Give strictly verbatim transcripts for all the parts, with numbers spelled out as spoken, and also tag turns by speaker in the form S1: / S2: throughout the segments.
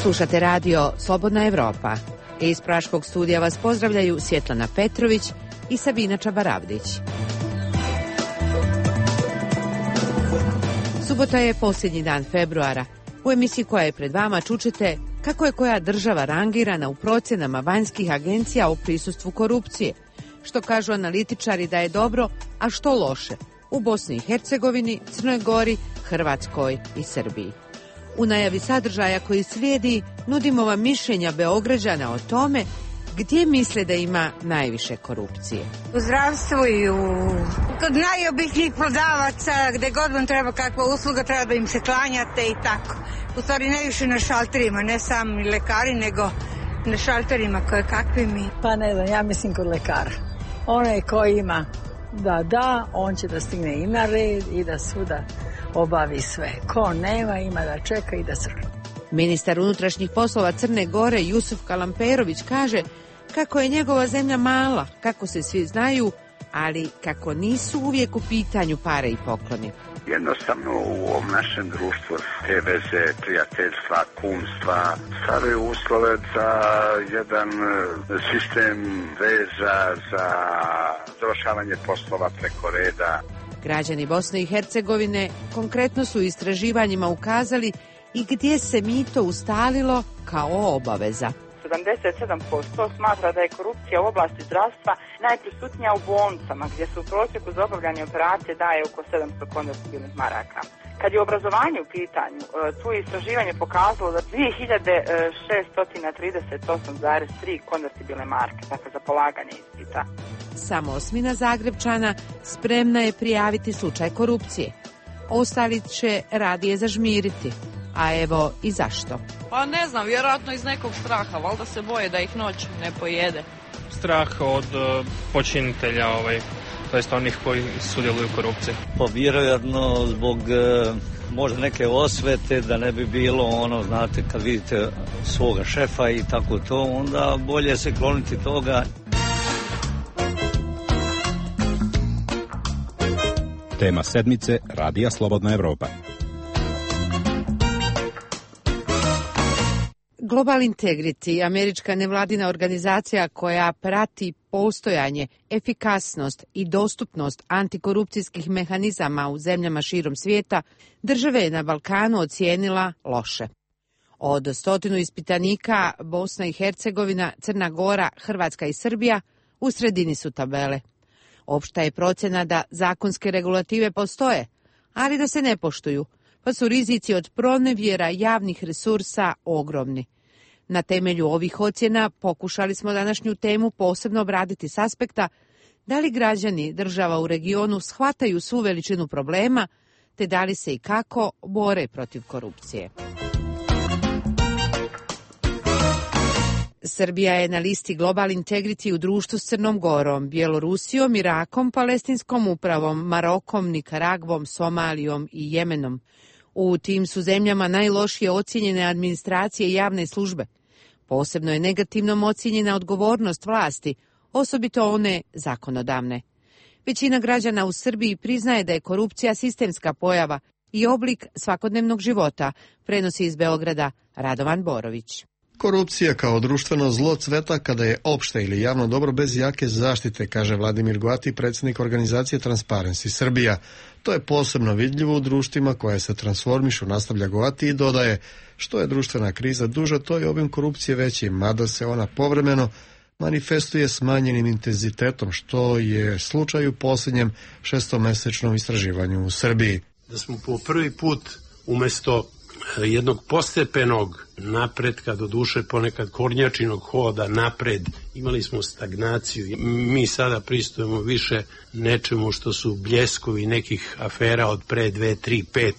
S1: Slušate radio Slobodna Evropa. Iz Praškog studija vas pozdravljaju Svjetlana Petrović i Sabina Čabaravdić. Subota je posljednji dan februara. U emisiji koja je pred vama čućete kako je koja država rangirana u procjenama vanjskih agencija o prisustvu korupcije, što kažu analitičari da je dobro, a što loše u Bosni i Hercegovini, Crnoj Gori, Hrvatskoj i Srbiji. U najavi sadržaja koji slijedi nudimo vam mišljenja Beograđana o tome gdje misle da ima najviše korupcije.
S2: U zdravstvu i u... kod najobičnijih prodavaca, gdje god vam treba kakva usluga, treba da im se klanjate i tako. U stvari najviše na šalterima, ne sami lekari, nego na šalterima koje kakvi mi.
S3: Pa ne znam, ja mislim kod lekara. Onaj koji ima da da, on će da stigne i na red i da svuda obavi sve. Ko nema, ima da čeka i da crkne.
S1: Ministar unutrašnjih poslova Crne Gore Jusuf Kalamperović kaže kako je njegova zemlja mala, kako se svi znaju, ali kako nisu uvijek u pitanju pare i pokloni.
S4: Jednostavno u ovom našem društvu te veze, prijateljstva, kumstva stvaraju uslove za jedan sistem veza, za završavanje poslova preko reda.
S1: Građani Bosne i Hercegovine konkretno su istraživanjima ukazali i gdje se mito ustalilo kao obaveza.
S5: sedamdeset sedam posto smatra da je korupcija u oblasti zdravstva najprisutnija u bolnicama, gdje se u prosjeku za obavljanje operacije daje oko sedamsto konvertibilnih maraka. Kad je obrazovanje u pitanju, tu je istraživanje pokazalo da dvije hiljade šesto trideset osam zarez tri konvertibilne marke, dakle za polaganje ispita.
S1: Samo osmina Zagrebčana spremna je prijaviti slučaj korupcije. Ostali će radije zažmiriti. A evo i zašto.
S6: Pa ne znam, vjerojatno iz nekog straha, valjda se boje da ih noć ne pojede.
S7: Strah od uh, počinitelja, ovaj, to jest onih koji sudjeluju u korupciji.
S8: Pa vjerojatno zbog uh, možda neke osvete, da ne bi bilo ono, znate, kad vidite svoga šefa i tako to, onda bolje se kloniti toga.
S9: Tema sedmice Radija Slobodna Evropa.
S1: Global Integrity, američka nevladina organizacija koja prati postojanje, efikasnost i dostupnost antikorupcijskih mehanizama u zemljama širom svijeta, države je na Balkanu ocijenila loše. Od stotinu ispitanika Bosna i Hercegovina, Crna Gora, Hrvatska i Srbija u sredini su tabele. Opšta je procjena da zakonske regulative postoje, ali da se ne poštuju, pa su rizici od pronevjera javnih resursa ogromni. Na temelju ovih ocjena pokušali smo današnju temu posebno obraditi s aspekta da li građani država u regionu shvataju svu veličinu problema, te da li se i kako bore protiv korupcije. Srbija je na listi Global Integrity u društvu s Crnom Gorom, Bjelorusijom, Irakom, Palestinskom upravom, Marokom, Nikaragvom, Somalijom i Jemenom. U tim su zemljama najlošije ocijenjene administracije i javne službe. Posebno je negativnom ocijenjena odgovornost vlasti, osobito one zakonodavne. Većina građana u Srbiji priznaje da je korupcija sistemska pojava i oblik svakodnevnog života, prenosi iz Beograda Radovan Borović.
S10: Korupcija kao društveno zlo cveta kada je opšte ili javno dobro bez jake zaštite, kaže Vladimir Goati, predsjednik organizacije Transparency Srbija. To je posebno vidljivo u društvima koje se transformišu, nastavlja Goati i dodaje, što je društvena kriza duža, to je obim korupcije veći, mada se ona povremeno manifestuje smanjenim intenzitetom, što je slučaj u posljednjem šestomesečnom istraživanju u Srbiji.
S11: Da smo po prvi put umjesto jednog postepenog napretka, do duše ponekad kornjačinog hoda napred, imali smo stagnaciju. Mi sada pristupamo više nečemu što su bljeskovi nekih afera od pre dve, tri, pet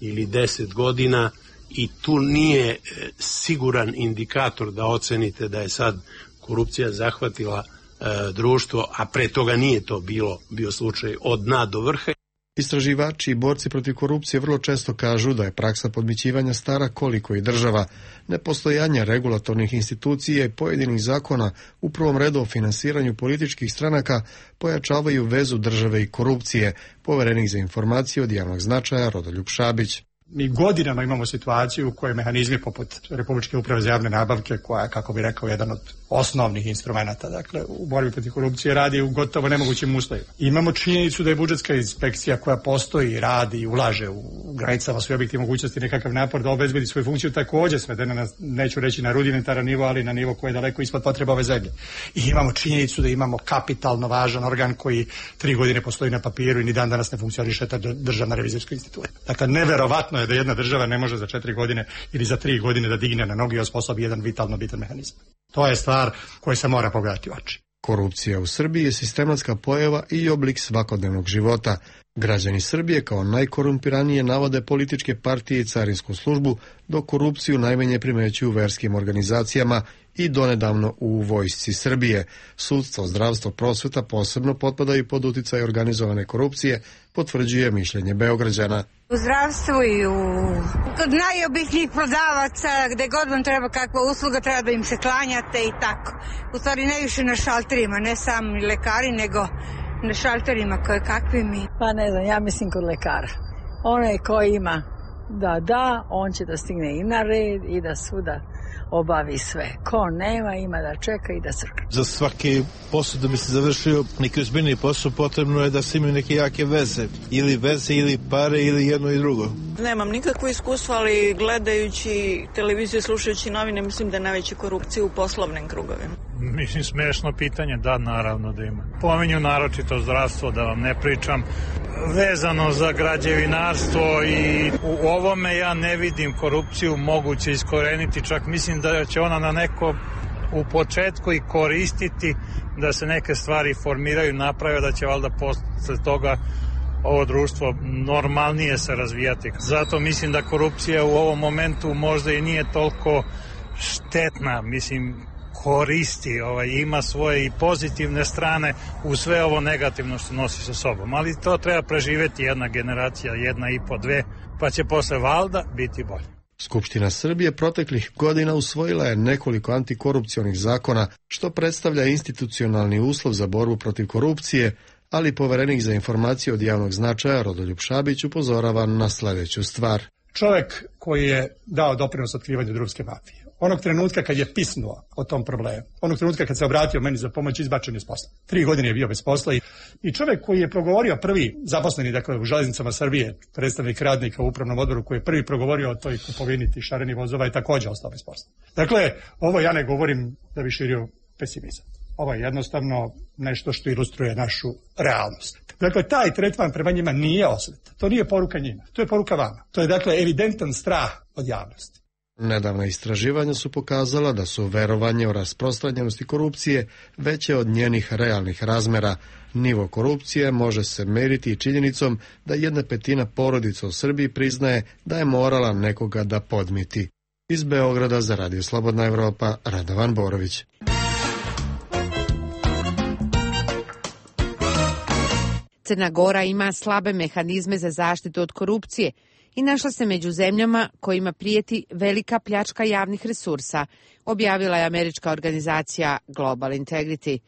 S11: ili deset godina i tu nije siguran indikator da ocenite da je sad korupcija zahvatila e, društvo, a pre toga nije to bilo bio slučaj od dna do vrha.
S10: Istraživači i borci protiv korupcije vrlo često kažu da je praksa podmićivanja stara koliko i država. Nepostojanje regulatornih institucija i pojedinih zakona, u prvom redu o finansiranju političkih stranaka, pojačavaju vezu države i korupcije, poverenik za informacije od javnog značaja Rodoljub Šabić.
S12: Mi godinama imamo situaciju u kojoj mehanizmi poput Republičke uprave za javne nabavke, koja, kako bi rekao, jedan od osnovnih instrumenta, dakle, u borbi protiv korupcije radi u gotovo nemogućim uslovima. Imamo činjenicu da je budžetska inspekcija koja postoji, radi i ulaže u granicama svoje objektivne mogućnosti nekakav napor da obezbedi svoju funkciju također svedena na, neću reći na rudimentaran nivo, ali na nivo koji je daleko ispod potreba ove zemlje. I imamo činjenicu da imamo kapitalno važan organ koji tri godine postoji na papiru i ni dan danas ne funkcioniše, ta državna revizorska institucija. Dakle, neverovatno je da jedna država ne može za četiri godine ili za tri godine da digne na noge i osposobi jedan vitalno bitan mehanizam. To je stvar koja se mora pogledati u oči.
S10: Korupcija u Srbiji je sistematska pojava i oblik svakodnevnog života. Građani Srbije kao najkorumpiranije navode političke partije i carinsku službu, dok korupciju najmanje primećuju u verskim organizacijama i donedavno u vojsci Srbije. Sudstvo, zdravstvo, prosveta posebno potpadaju pod uticaj organizovane korupcije, potvrđuje mišljenje Beograđana.
S2: U zdravstvu i u kod najobičnijih prodavaca, gde god vam treba kakva usluga, treba da im se klanjate i tako. U stvari ne više na šalterima, ne sami lekari, nego na šalterima koje kakvi mi.
S3: Pa ne znam, ja mislim kod lekara. Onaj koji ima da da, on će da stigne i na red i da svuda obavi sve. Ko nema, ima da čeka i da crka.
S13: Za svaki posao da bi se završio neki ozbiljni posao, potrebno je da se imaju neke jake veze. Ili veze, ili pare, ili jedno i drugo.
S6: Nemam nikakvo iskustvo, ali gledajući televiziju, slušajući novine, mislim da je najveća korupcija u poslovnim krugovima.
S14: Mislim, smešno pitanje, da, naravno da ima. Pominju naročito zdravstvo, da vam ne pričam, vezano za građevinarstvo i u ovome ja ne vidim korupciju moguće iskoreniti, čak mislim da će ona na neko u početku i koristiti da se neke stvari formiraju, naprave, da će valjda posle toga ovo društvo normalnije se razvijati. Zato mislim da korupcija u ovom momentu možda i nije toliko štetna, mislim, koristi, ovaj, ima svoje i pozitivne strane u sve ovo negativno što nosi sa sobom, ali to treba preživeti jedna generacija, jedna i po dve, pa će posle valjda biti bolje.
S10: Skupština Srbije proteklih godina usvojila je nekoliko antikorupcionih zakona, što predstavlja institucionalni uslov za borbu protiv korupcije, ali poverenik za informacije od javnog značaja Rodoljub Šabić upozorava na sljedeću stvar.
S12: Čovjek koji je dao doprinos otkrivanju drumske mafije, onog trenutka kad je pisnuo o tom problemu, onog trenutka kad se obratio meni za pomoć, izbačen je s posla. Tri godine je bio bez posla i, i čovjek koji je progovorio prvi, zaposleni dakle u Železnicama Srbije, predstavnik radnika u upravnom odboru koji je prvi progovorio o toj kupovini tih šarenih vozova, je također ostao bez posla. Dakle, ovo ja ne govorim da bi širio pesimizam. Ovo je jednostavno nešto što ilustruje našu realnost. Dakle, taj tretman prema njima nije osveta. To nije poruka njima. To je poruka vama. To je dakle evidentan strah od javnosti.
S10: Nedavna istraživanja su pokazala da su verovanje o rasprostranjenosti korupcije veće od njenih realnih razmera. Nivo korupcije može se meriti i činjenicom da jedna petina porodica u Srbiji priznaje da je morala nekoga da podmiti. Iz Beograda za Radio Slobodna Evropa, Radovan Borović.
S1: Crna Gora ima slabe mehanizme za zaštitu od korupcije i našla se među zemljama kojima prijeti velika pljačka javnih resursa, objavila je američka organizacija Global Integrity.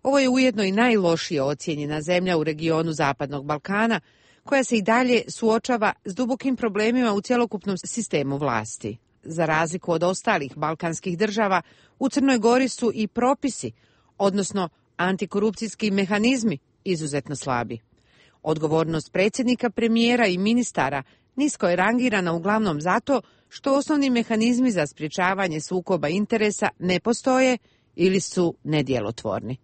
S1: Ovo je ujedno i najlošije ocijenjena zemlja u regionu Zapadnog Balkana, koja se i dalje suočava s dubokim problemima u cjelokupnom sistemu vlasti. Za razliku od ostalih balkanskih država, u Crnoj Gori su i propisi, odnosno antikorupcijski mehanizmi, izuzetno slabi. Odgovornost predsjednika, premijera i ministara nisko je rangirana uglavnom zato što osnovni mehanizmi za sprječavanje sukoba interesa ne postoje ili su nedjelotvorni.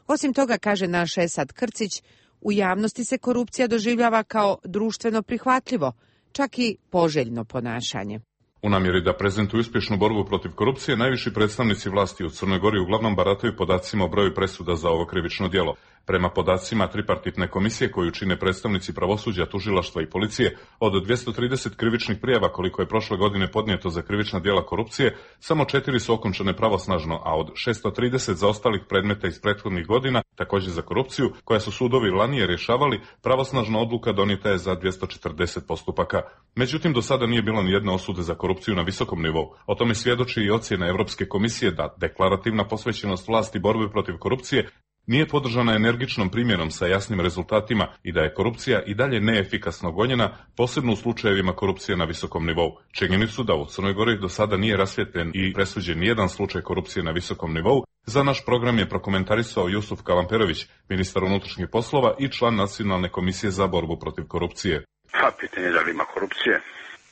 S1: Osim toga, kaže naš Esad Krcić, u javnosti se korupcija doživljava kao društveno prihvatljivo, čak i poželjno ponašanje.
S15: U namjeri da prezentuju uspješnu borbu protiv korupcije, najviši predstavnici vlasti u Crnoj Gori uglavnom barataju podacima o broju presuda za ovo krivično djelo. Prema podacima tripartitne komisije koju čine predstavnici pravosuđa, tužilaštva i policije, od dvjesto trideset krivičnih prijava koliko je prošle godine podnijeto za krivična djela korupcije, samo četiri su okončane pravosnažno, a od šesto trideset zaostalih predmeta iz prethodnih godina, također za korupciju, koja su sudovi ranije rješavali, pravosnažna odluka donijeta je za dvjesto četrdeset postupaka. Međutim, do sada nije bilo ni jedne osude za korupciju na visokom nivou. O tome svjedoči i ocjena Europske komisije da deklarativna posvećenost vlasti borbi protiv korupcije Nije podržana energičnom primjenom sa jasnim rezultatima i da je korupcija i dalje neefikasno gonjena, posebno u slučajevima korupcije na visokom nivou. Činjenicu da u Crnoj Gori do sada nije rasvijetljen i presuđen nijedan slučaj korupcije na visokom nivou, za naš program je prokomentarisao Jusuf Kalamperović, ministar unutrašnjih poslova i član Nacionalne komisije za borbu protiv korupcije.
S4: Pa, pitanje je da li ima korupcije.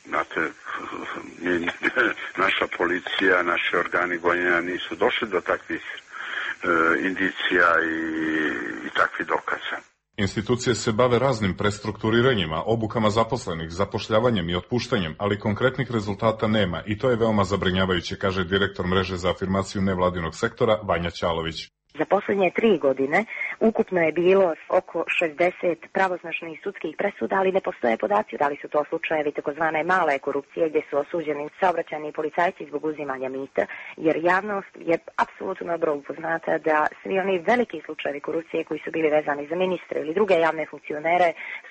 S4: Znate, naša policija, naši organi gonjenja nisu došli do takvih e, indicija i, i takvih dokaza.
S15: Institucije se bave raznim prestrukturiranjima, obukama zaposlenih, zapošljavanjem i otpuštanjem, ali konkretnih rezultata nema i to je veoma zabrinjavajuće, kaže direktor mreže za afirmaciju nevladinog sektora Vanja Ćalović.
S16: Za posljednje tri godine ukupno je bilo oko šezdeset pravosnažnih sudskih presuda, ali ne postoje podaci da li su to slučajevi takozvane male korupcije gdje su osuđeni saobraćajni policajci zbog uzimanja mita, jer javnost je apsolutno dobro upoznata da svi oni veliki slučajevi korupcije koji su bili vezani za ministre ili druge javne funkcionere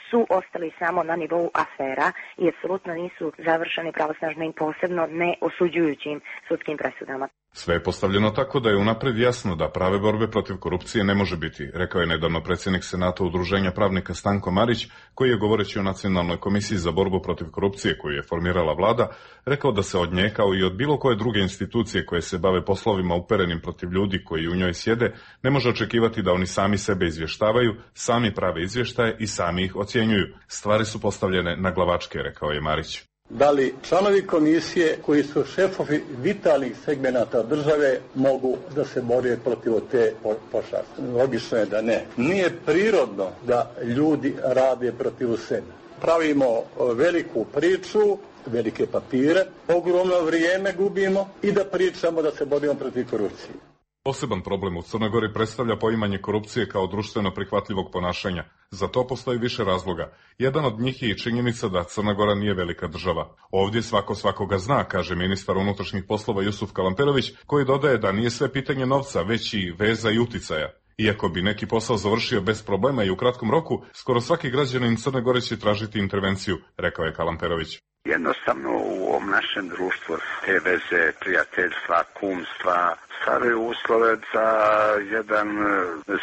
S16: su ostali samo na nivou afera i apsolutno nisu završeni pravosnažnim, posebno ne osuđujućim sudskim presudama.
S15: Sve je postavljeno tako da je unapred jasno da prave borbe protiv korupcije ne može biti, rekao je nedavno predsjednik Senata Udruženja pravnika Stanko Marić, koji je govoreći o Nacionalnoj komisiji za borbu protiv korupcije koju je formirala vlada, rekao da se od nje kao i od bilo koje druge institucije koje se bave poslovima uperenim protiv ljudi koji u njoj sjede, ne može očekivati da oni sami sebe izvještavaju, sami prave izvještaje i sami ih ocjenjuju. Stvari su postavljene na glavačke, rekao je Marić.
S17: Da li članovi komisije koji su šefovi vitalnih segmenata države mogu da se bore protiv te pošasti? Logično je da ne. Nije prirodno da ljudi rade protiv sebe. Pravimo veliku priču, velike papire, ogromno vrijeme gubimo i da pričamo da se borimo protiv korupcije.
S15: Poseban problem u Crnoj Gori predstavlja poimanje korupcije kao društveno prihvatljivog ponašanja. Za to postoji više razloga. Jedan od njih je i činjenica da Crna Gora nije velika država. Ovdje svako svakoga zna, kaže ministar unutrašnjih poslova Jusuf Kalamperović, koji dodaje da nije sve pitanje novca, već i veza i uticaja. Iako bi neki posao završio bez problema i u kratkom roku, skoro svaki građanin Crne Gore će tražiti intervenciju, rekao je Kalamperović.
S4: Jednostavno u ovom našem društvu te veze, prijateljstva, kumstva stvaraju uslove za jedan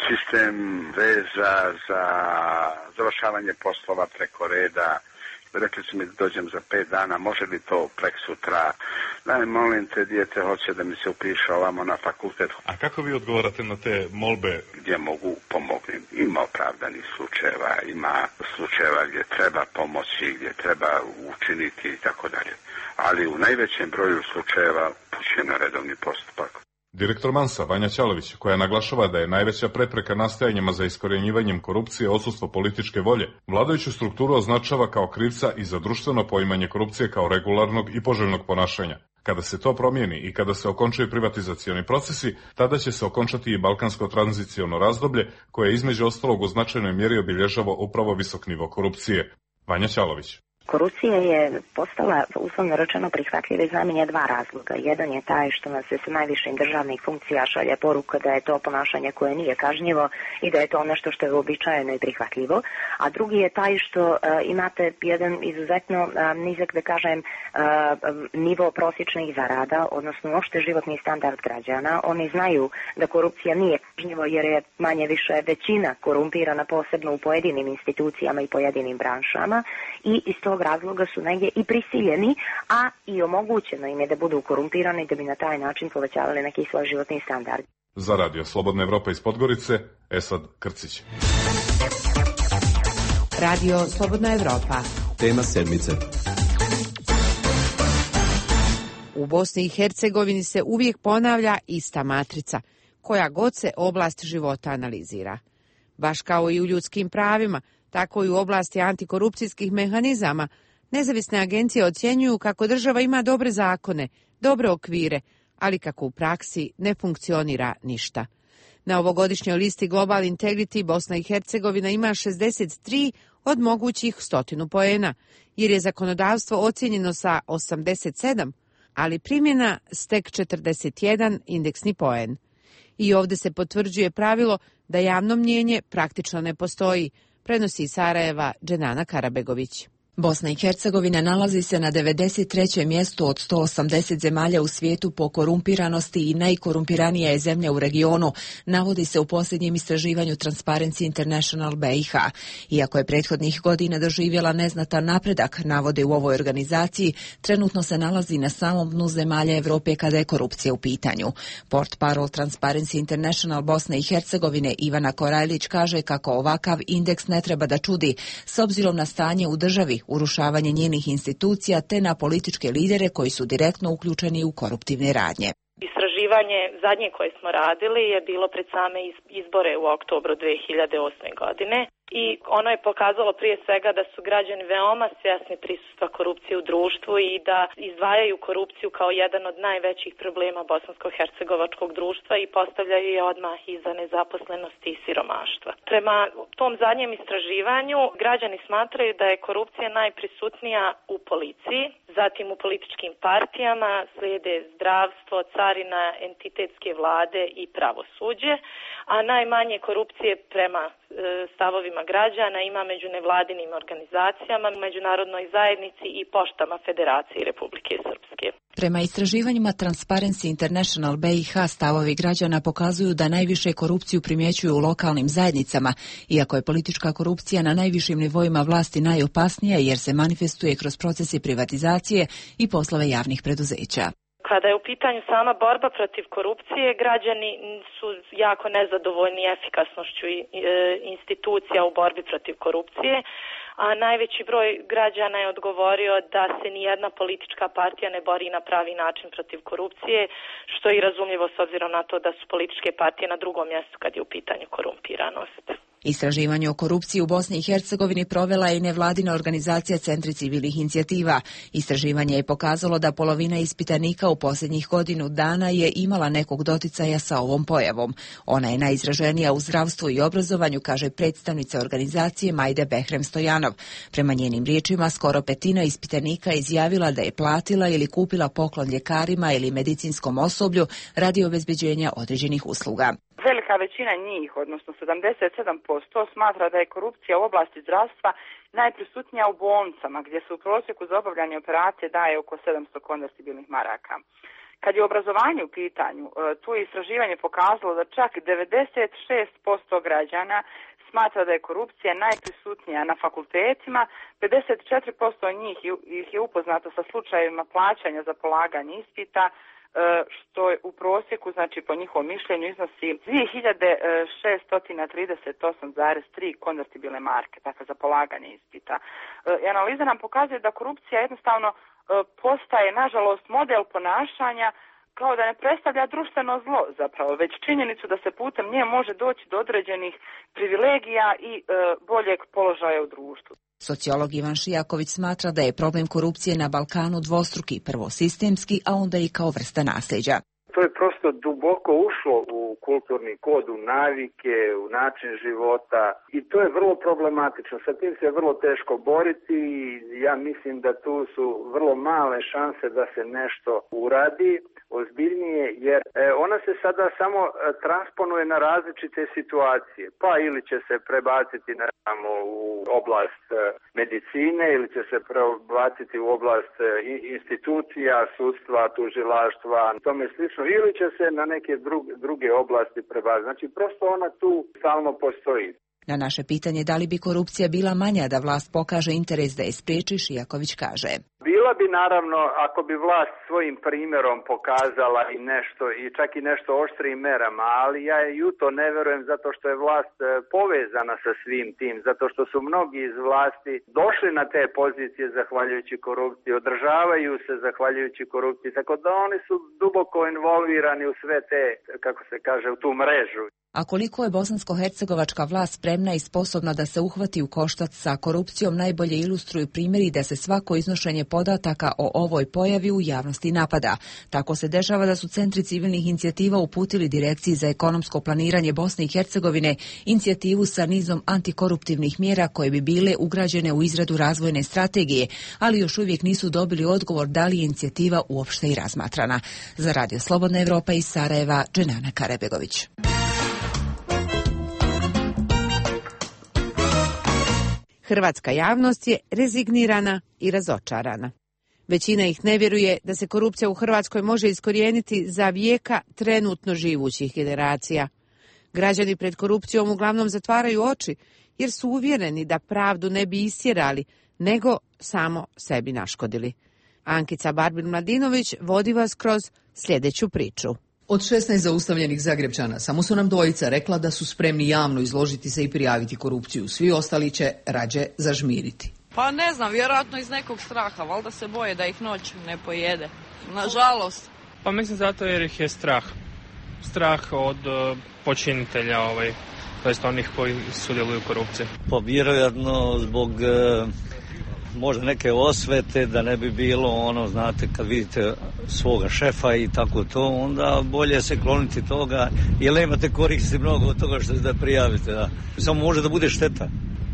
S4: sistem veza, za završavanje poslova preko reda. Rekli su mi da dođem za pet dana, može li to prek sutra? Daj, molim te, dijete hoće da mi se upiše ovamo na fakultet.
S15: A kako vi odgovarate na te molbe?
S4: Gdje mogu, pomognem. Ima opravdanih slučajeva, ima slučajeva gdje treba pomoći, gdje treba učiniti i tako dalje. Ali u najvećem broju slučajeva upućujem na redovni postupak.
S15: Direktor Mansa, Vanja Ćalović, koja naglašava da je najveća prepreka nastojanjima za iskorjenjivanjem korupcije odsustvo političke volje, vladajuću strukturu označava kao krivca i za društveno poimanje korupcije kao regularnog i poželjnog ponašanja. Kada se to promijeni i kada se okončaju privatizacioni procesi, tada će se okončati i balkansko tranziciono razdoblje, koje između ostalog u značajnoj mjeri obilježava upravo visok nivo korupcije. Vanja Ćalović.
S16: Korupcija je postala, uslovno rečeno, prihvatljiva iz najmanje dva razloga. Jedan je taj što nas se sa najvišim državnih funkcija šalje poruka da je to ponašanje koje nije kažnjivo i da je to nešto što je uobičajeno i prihvatljivo. A drugi je taj što uh, imate jedan izuzetno uh, nizak, da kažem, uh, nivo prosječnih zarada, odnosno uopšte životni standard građana. Oni znaju da korupcija nije kažnjivo jer je manje više većina korumpirana, posebno u pojedinim institucijama i pojedinim branšama, i iz tog razloga su negdje i prisiljeni, a i omogućeno im je da budu korumpirani da bi na taj način povećavali neki svoj životni standard.
S15: Za Radio Slobodna Evropa iz Podgorice, Esad Krcić.
S1: Radio Slobodna Evropa.
S18: Tema sedmice.
S1: U Bosni i Hercegovini se uvijek ponavlja ista matrica, koja god se oblast života analizira. Baš kao i u ljudskim pravima, tako i u oblasti antikorupcijskih mehanizama, nezavisne agencije ocjenjuju kako država ima dobre zakone, dobre okvire, ali kako u praksi ne funkcionira ništa. Na ovogodišnjoj listi Global Integrity Bosna i Hercegovina ima šezdeset tri od mogućih stotinu poena, jer je zakonodavstvo ocjenjeno sa osamdeset sedam, ali primjena stek četrdeset jedan indeksni poen. I ovdje se potvrđuje pravilo da javno mnjenje praktično ne postoji, prenosi iz Sarajeva Dženana Karabegović.
S18: Bosna i Hercegovina nalazi se na devedeset trećem mjestu od sto osamdeset zemalja u svijetu po korumpiranosti i najkorumpiranija je zemlja u regionu, navodi se u posljednjem istraživanju Transparency International B i H. Iako je prethodnih godina doživjela neznatan napredak, navode u ovoj organizaciji, trenutno se nalazi na samom dnu zemalja Europe kada je korupcija u pitanju. Portparol Transparency International Bosne i Hercegovine Ivana Korajlić kaže kako ovakav indeks ne treba da čudi s obzirom na stanje u državi, urušavanje njenih institucija te na političke lidere koji su direktno uključeni u koruptivne radnje.
S19: Istraživanje zadnje koje smo radili je bilo pred same izbore u oktobru dve hiljade osme. godine i ono je pokazalo prije svega da su građani veoma svjesni prisustva korupcije u društvu i da izdvajaju korupciju kao jedan od najvećih problema bosansko-hercegovačkog društva i postavljaju je odmah iza nezaposlenosti i siromaštva. Prema tom zadnjem istraživanju građani smatraju da je korupcija najprisutnija u policiji, zatim u političkim partijama, slijede zdravstvo, carina, entitetske vlade i pravosuđe, a najmanje korupcije prema e, stavovima građana ima među nevladinim organizacijama, međunarodnoj zajednici i poštama Federacije Republike Srpske.
S18: Prema istraživanjima Transparency International B i H stavovi građana pokazuju da najviše korupciju primjećuju u lokalnim zajednicama, iako je politička korupcija na najvišim nivoima vlasti najopasnija jer se manifestuje kroz procese privatizacije i poslove javnih preduzeća.
S19: Kada je u pitanju sama borba protiv korupcije, građani su jako nezadovoljni efikasnošću institucija u borbi protiv korupcije, a najveći broj građana je odgovorio da se nijedna politička partija ne bori na pravi način protiv korupcije, što je i razumljivo s obzirom na to da su političke partije na drugom mjestu kad je u pitanju korumpiranost.
S18: Istraživanje o korupciji u Bosni i Hercegovini provela je i nevladina organizacija Centri civilnih inicijativa. Istraživanje je pokazalo da polovina ispitanika u posljednjih godinu dana je imala nekog doticaja sa ovom pojavom. Ona je najizraženija u zdravstvu i obrazovanju, kaže predstavnica organizacije Majde Behrem Stojanov. Prema njenim riječima, skoro petina ispitanika izjavila da je platila ili kupila poklon ljekarima ili medicinskom osoblju radi obezbeđenja određenih usluga.
S5: Velika većina njih, odnosno sedamdeset sedam posto, smatra da je korupcija u oblasti zdravstva najprisutnija u bolnicama, gdje se u prosjeku za obavljanje operacije daje oko sedamsto konvertibilnih maraka. Kad je obrazovanje u pitanju, tu je istraživanje pokazalo da čak devedeset šest posto građana smatra da je korupcija najprisutnija na fakultetima, pedeset četiri posto njih ih je upoznato sa slučajevima plaćanja za polaganje ispita, što je u prosjeku, znači po njihovom mišljenju, iznosi dvije hiljade šesto trideset osam zarez tri konvertibilne marke, dakle za polaganje ispita. I analiza nam pokazuje da korupcija jednostavno postaje, nažalost, model ponašanja kao da ne predstavlja društveno zlo zapravo, već činjenicu da se putem nje može doći do određenih privilegija i e, boljeg položaja u društvu.
S18: Sociolog Ivan Šijaković smatra da je problem korupcije na Balkanu dvostruki, prvo sistemski, a onda i kao vrsta nasljeđa.
S20: To je prosto duboko ušlo u kulturni kod, u navike, u način života i to je vrlo problematično. Sa tim se vrlo teško boriti i ja mislim da tu su vrlo male šanse da se nešto uradi ozbiljnije, jer ona se sada samo transponuje na različite situacije. Pa ili će se prebaciti na samo u oblast medicine ili će se prebaciti u oblast institucija, sudstva, tužilaštva, tome slično, ili će se na neke druge, druge oblasti prebaciti. Znači, prosto ona tu stalno postoji.
S18: Na naše pitanje da li bi korupcija bila manja da vlast pokaže interes da je spriječi, Šijaković kaže.
S20: Bila bi naravno ako bi vlast svojim primjerom pokazala i nešto, i čak i nešto oštrijim merama, ali ja i u to ne verujem zato što je vlast povezana sa svim tim, zato što su mnogi iz vlasti došli na te pozicije zahvaljujući korupciji, održavaju se zahvaljujući korupciji, tako da oni su duboko involvirani u sve te, kako se kaže, u tu mrežu.
S18: A koliko je bosansko-hercegovačka vlast spremna i sposobna da se uhvati u koštac sa korupcijom najbolje ilustruju primjeri da se svako iznošenje podataka o ovoj pojavi u javnosti napada. Tako se dešava da su Centri civilnih inicijativa uputili Direkciji za ekonomsko planiranje Bosne i Hercegovine inicijativu sa nizom antikoruptivnih mjera koje bi bile ugrađene u izradu razvojne strategije, ali još uvijek nisu dobili odgovor da li je inicijativa uopšte i razmatrana. Za Radio Slobodna Evropa iz Sarajeva, Dženana Karebegović.
S1: Hrvatska javnost je rezignirana i razočarana. Većina ih ne vjeruje da se korupcija u Hrvatskoj može iskorijeniti za vijeka trenutno živućih generacija. Građani pred korupcijom uglavnom zatvaraju oči jer su uvjereni da pravdu ne bi istjerali, nego samo sebi naškodili. Ankica Barbin-Mladinović vodi vas kroz sljedeću priču.
S21: Od šesnaest zaustavljenih Zagrepčana samo su nam dvojica rekla da su spremni javno izložiti se i prijaviti korupciju. Svi ostali će rađe zažmiriti.
S6: Pa ne znam, vjerojatno iz nekog straha, valjda se boje da ih noć ne pojede. Nažalost.
S7: Pa mislim zato jer ih je strah. Strah od uh, počinitelja, ovaj, to jest onih koji sudjeluju u korupciji.
S8: Pa vjerojatno zbog uh, možda neke osvete, da ne bi bilo ono, znate, kad vidite svoga šefa i tako to, onda bolje se kloniti toga, jer nemate koristi mnogo od toga što da prijavite. Da. Samo može da bude šteta.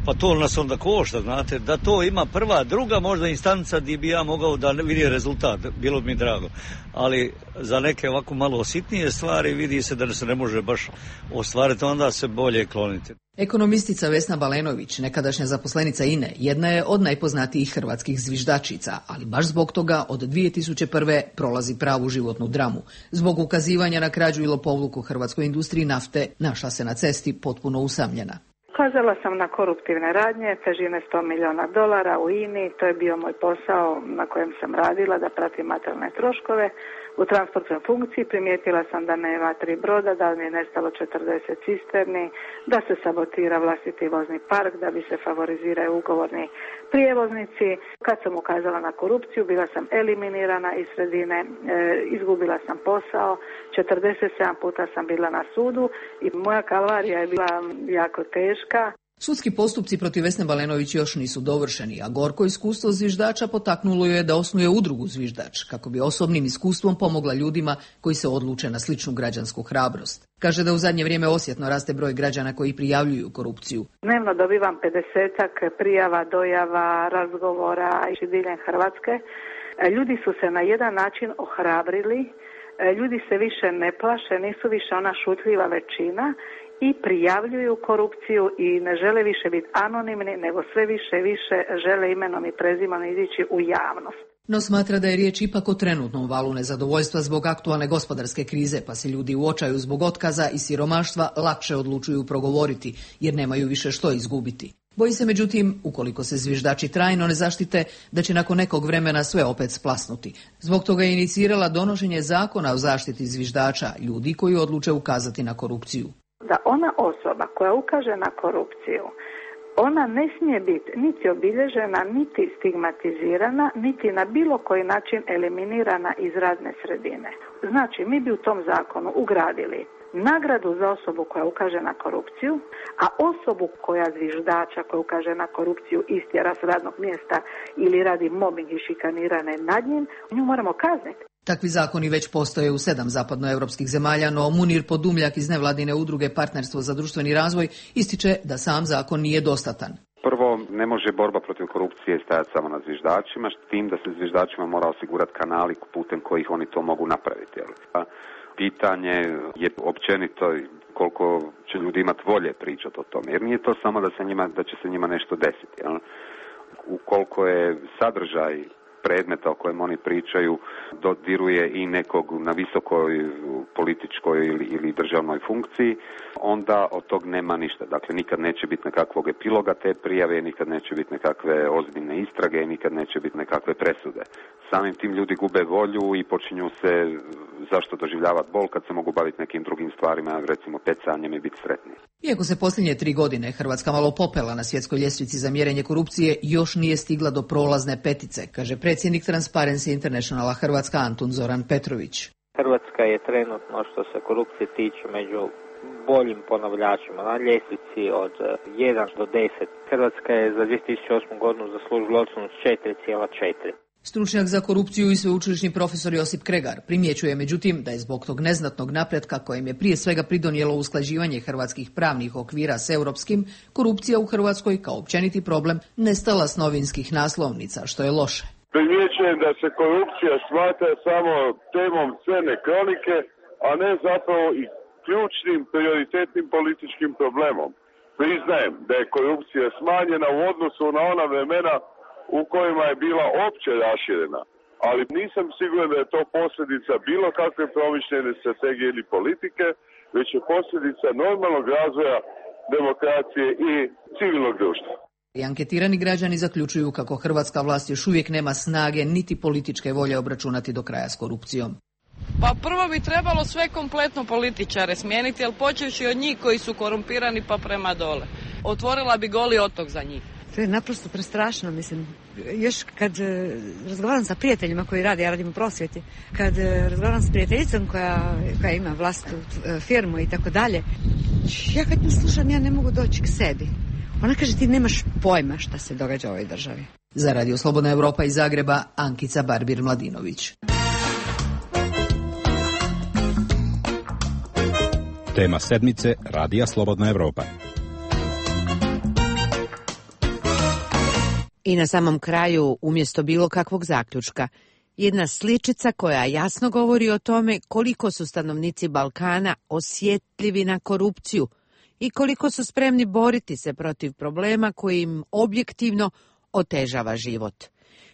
S8: Pa to nas onda košta, znate, da to ima prva, druga možda instanca gdje bi ja mogao da vidi rezultat, bilo bi mi drago. Ali za neke ovako malo sitnije stvari vidi se da se ne može baš ostvariti, onda se bolje kloniti.
S21: Ekonomistica Vesna Balenović, nekadašnja zaposlenica I N E, jedna je od najpoznatijih hrvatskih zviždačica, ali baš zbog toga od dvije tisuće prve prolazi pravu životnu dramu. Zbog ukazivanja na krađu i lopovluk u hrvatskoj industriji nafte našla se na cesti potpuno usamljena.
S22: Ukazala sam na koruptivne radnje, težine sto milijuna dolara u I N I, to je bio moj posao na kojem sam radila, da pratim materijalne troškove. U transportnoj funkciji primijetila sam da nema tri broda, da mi je nestalo četrdeset cisterni, da se sabotira vlastiti vozni park, da bi se favoriziraju ugovorni prijevoznici. Kad sam ukazala na korupciju, bila sam eliminirana iz sredine, e, izgubila sam posao, četrdeset sedam puta sam bila na sudu i moja kalvarija je bila jako teška.
S21: Sudski postupci protiv Vesne Balenović još nisu dovršeni, a gorko iskustvo zviždača potaknulo je da osnuje udrugu Zviždač, kako bi osobnim iskustvom pomogla ljudima koji se odluče na sličnu građansku hrabrost. Kaže da u zadnje vrijeme osjetno raste broj građana koji prijavljuju korupciju.
S22: Dnevno dobivam pedesetak prijava, dojava, razgovora i diljem Hrvatske. Ljudi su se na jedan način ohrabrili, ljudi se više ne plaše, nisu više ona šutljiva većina i prijavljuju korupciju i ne žele više biti anonimni, nego sve više i više žele imenom i prezimenom izići u javnost.
S21: No smatra da je riječ ipak o trenutnom valu nezadovoljstva zbog aktualne gospodarske krize, pa se ljudi u očaju zbog otkaza i siromaštva lakše odlučuju progovoriti, jer nemaju više što izgubiti. Boji se međutim, ukoliko se zviždači trajno ne zaštite, da će nakon nekog vremena sve opet splasnuti. Zbog toga je inicirala donošenje zakona o zaštiti zviždača, ljudi koji odluče ukazati na korupciju.
S22: Da ona osoba koja ukaže na korupciju, ona ne smije biti niti obilježena, niti stigmatizirana, niti na bilo koji način eliminirana iz radne sredine. Znači, mi bi u tom zakonu ugradili nagradu za osobu koja ukaže na korupciju, a osobu koja zviždača koja ukaže na korupciju istjera s radnog mjesta ili radi mobbing i šikanirane nad njim, nju moramo kazniti.
S21: Takvi zakoni već postoje u sedam zapadnoevropskih zemalja, no Munir Podumljak iz nevladine udruge Partnerstvo za društveni razvoj ističe da sam zakon nije dostatan.
S23: Prvo, ne može borba protiv korupcije stajati samo na zviždačima, s tim da se zviždačima mora osigurati kanali putem kojih oni to mogu napraviti. Jel? Pitanje je općenito koliko će ljudi imati volje pričati o tome, jer nije to samo da, se njima, da će se njima nešto desiti. Jel? Ukoliko je sadržaj predmeta o kojem oni pričaju dodiruje i nekog na visokoj političkoj ili, ili državnoj funkciji, onda od tog nema ništa. Dakle, nikad neće biti nekakvog epiloga te prijave, nikad neće biti nekakve ozbiljne istrage, nikad neće biti nekakve presude. Samim tim ljudi gube volju i počinju se zašto doživljavati bol kad se mogu baviti nekim drugim stvarima, recimo pecanjem i biti sretni.
S21: Iako se posljednje tri godine Hrvatska malo popela na svjetskoj ljestvici za mjerenje korupcije, još nije stigla do prolazne petice, kaže predsjednik Transparency Internationala Hrvatska Antun Zoran Petrović.
S24: Hrvatska je trenutno što se korupcije tiče među boljim ponavljačima na ljestvici od jedan do deset. Hrvatska je za dvije tisuće osmu godinu zaslužila ocjenu četiri zarez četiri.
S21: Stručnjak za korupciju i sveučilišni profesor Josip Kregar primjećuje međutim da je zbog tog neznatnog napretka kojem je prije svega pridonijelo usklađivanje hrvatskih pravnih okvira s europskim, korupcija u Hrvatskoj kao općeniti problem nestala s novinskih naslovnica, što je loše.
S25: Primjećujem da se korupcija smatra samo temom crne kronike, a ne zapravo i ključnim prioritetnim političkim problemom. priznajem da je korupcija smanjena u odnosu na ona vremena u kojima je bila opće raširena. Ali nisam siguran da je to posljedica bilo kakve promišljene strategije ili politike, već je posljedica normalnog razvoja demokracije i civilnog društva.
S21: I anketirani građani zaključuju kako hrvatska vlast još uvijek nema snage niti političke volje obračunati do kraja s korupcijom.
S2: Pa prvo bi trebalo sve kompletno političare smijeniti, ali počevši od njih koji su korumpirani pa prema dole. Otvorila bi Goli otok za njih.
S3: To je naprosto prestrašno, mislim. Još kad uh, razgovaram sa prijateljima koji rade, ja radim u prosvjeti, kad uh, razgovaram s prijateljicom koja, koja ima vlastitu uh, firmu i tako dalje, ja kad nju slušam, ja ne mogu doći k sebi. Ona kaže, ti nemaš pojma šta se događa u ovoj državi.
S21: Za Radio Slobodna Evropa iz Zagreba, Ankica Barbir-Mladinović.
S9: Tema sedmice Radija Slobodna Evropa.
S1: I na samom kraju, umjesto bilo kakvog zaključka, jedna sličica koja jasno govori o tome koliko su stanovnici Balkana osjetljivi na korupciju i koliko su spremni boriti se protiv problema koji im objektivno otežava život.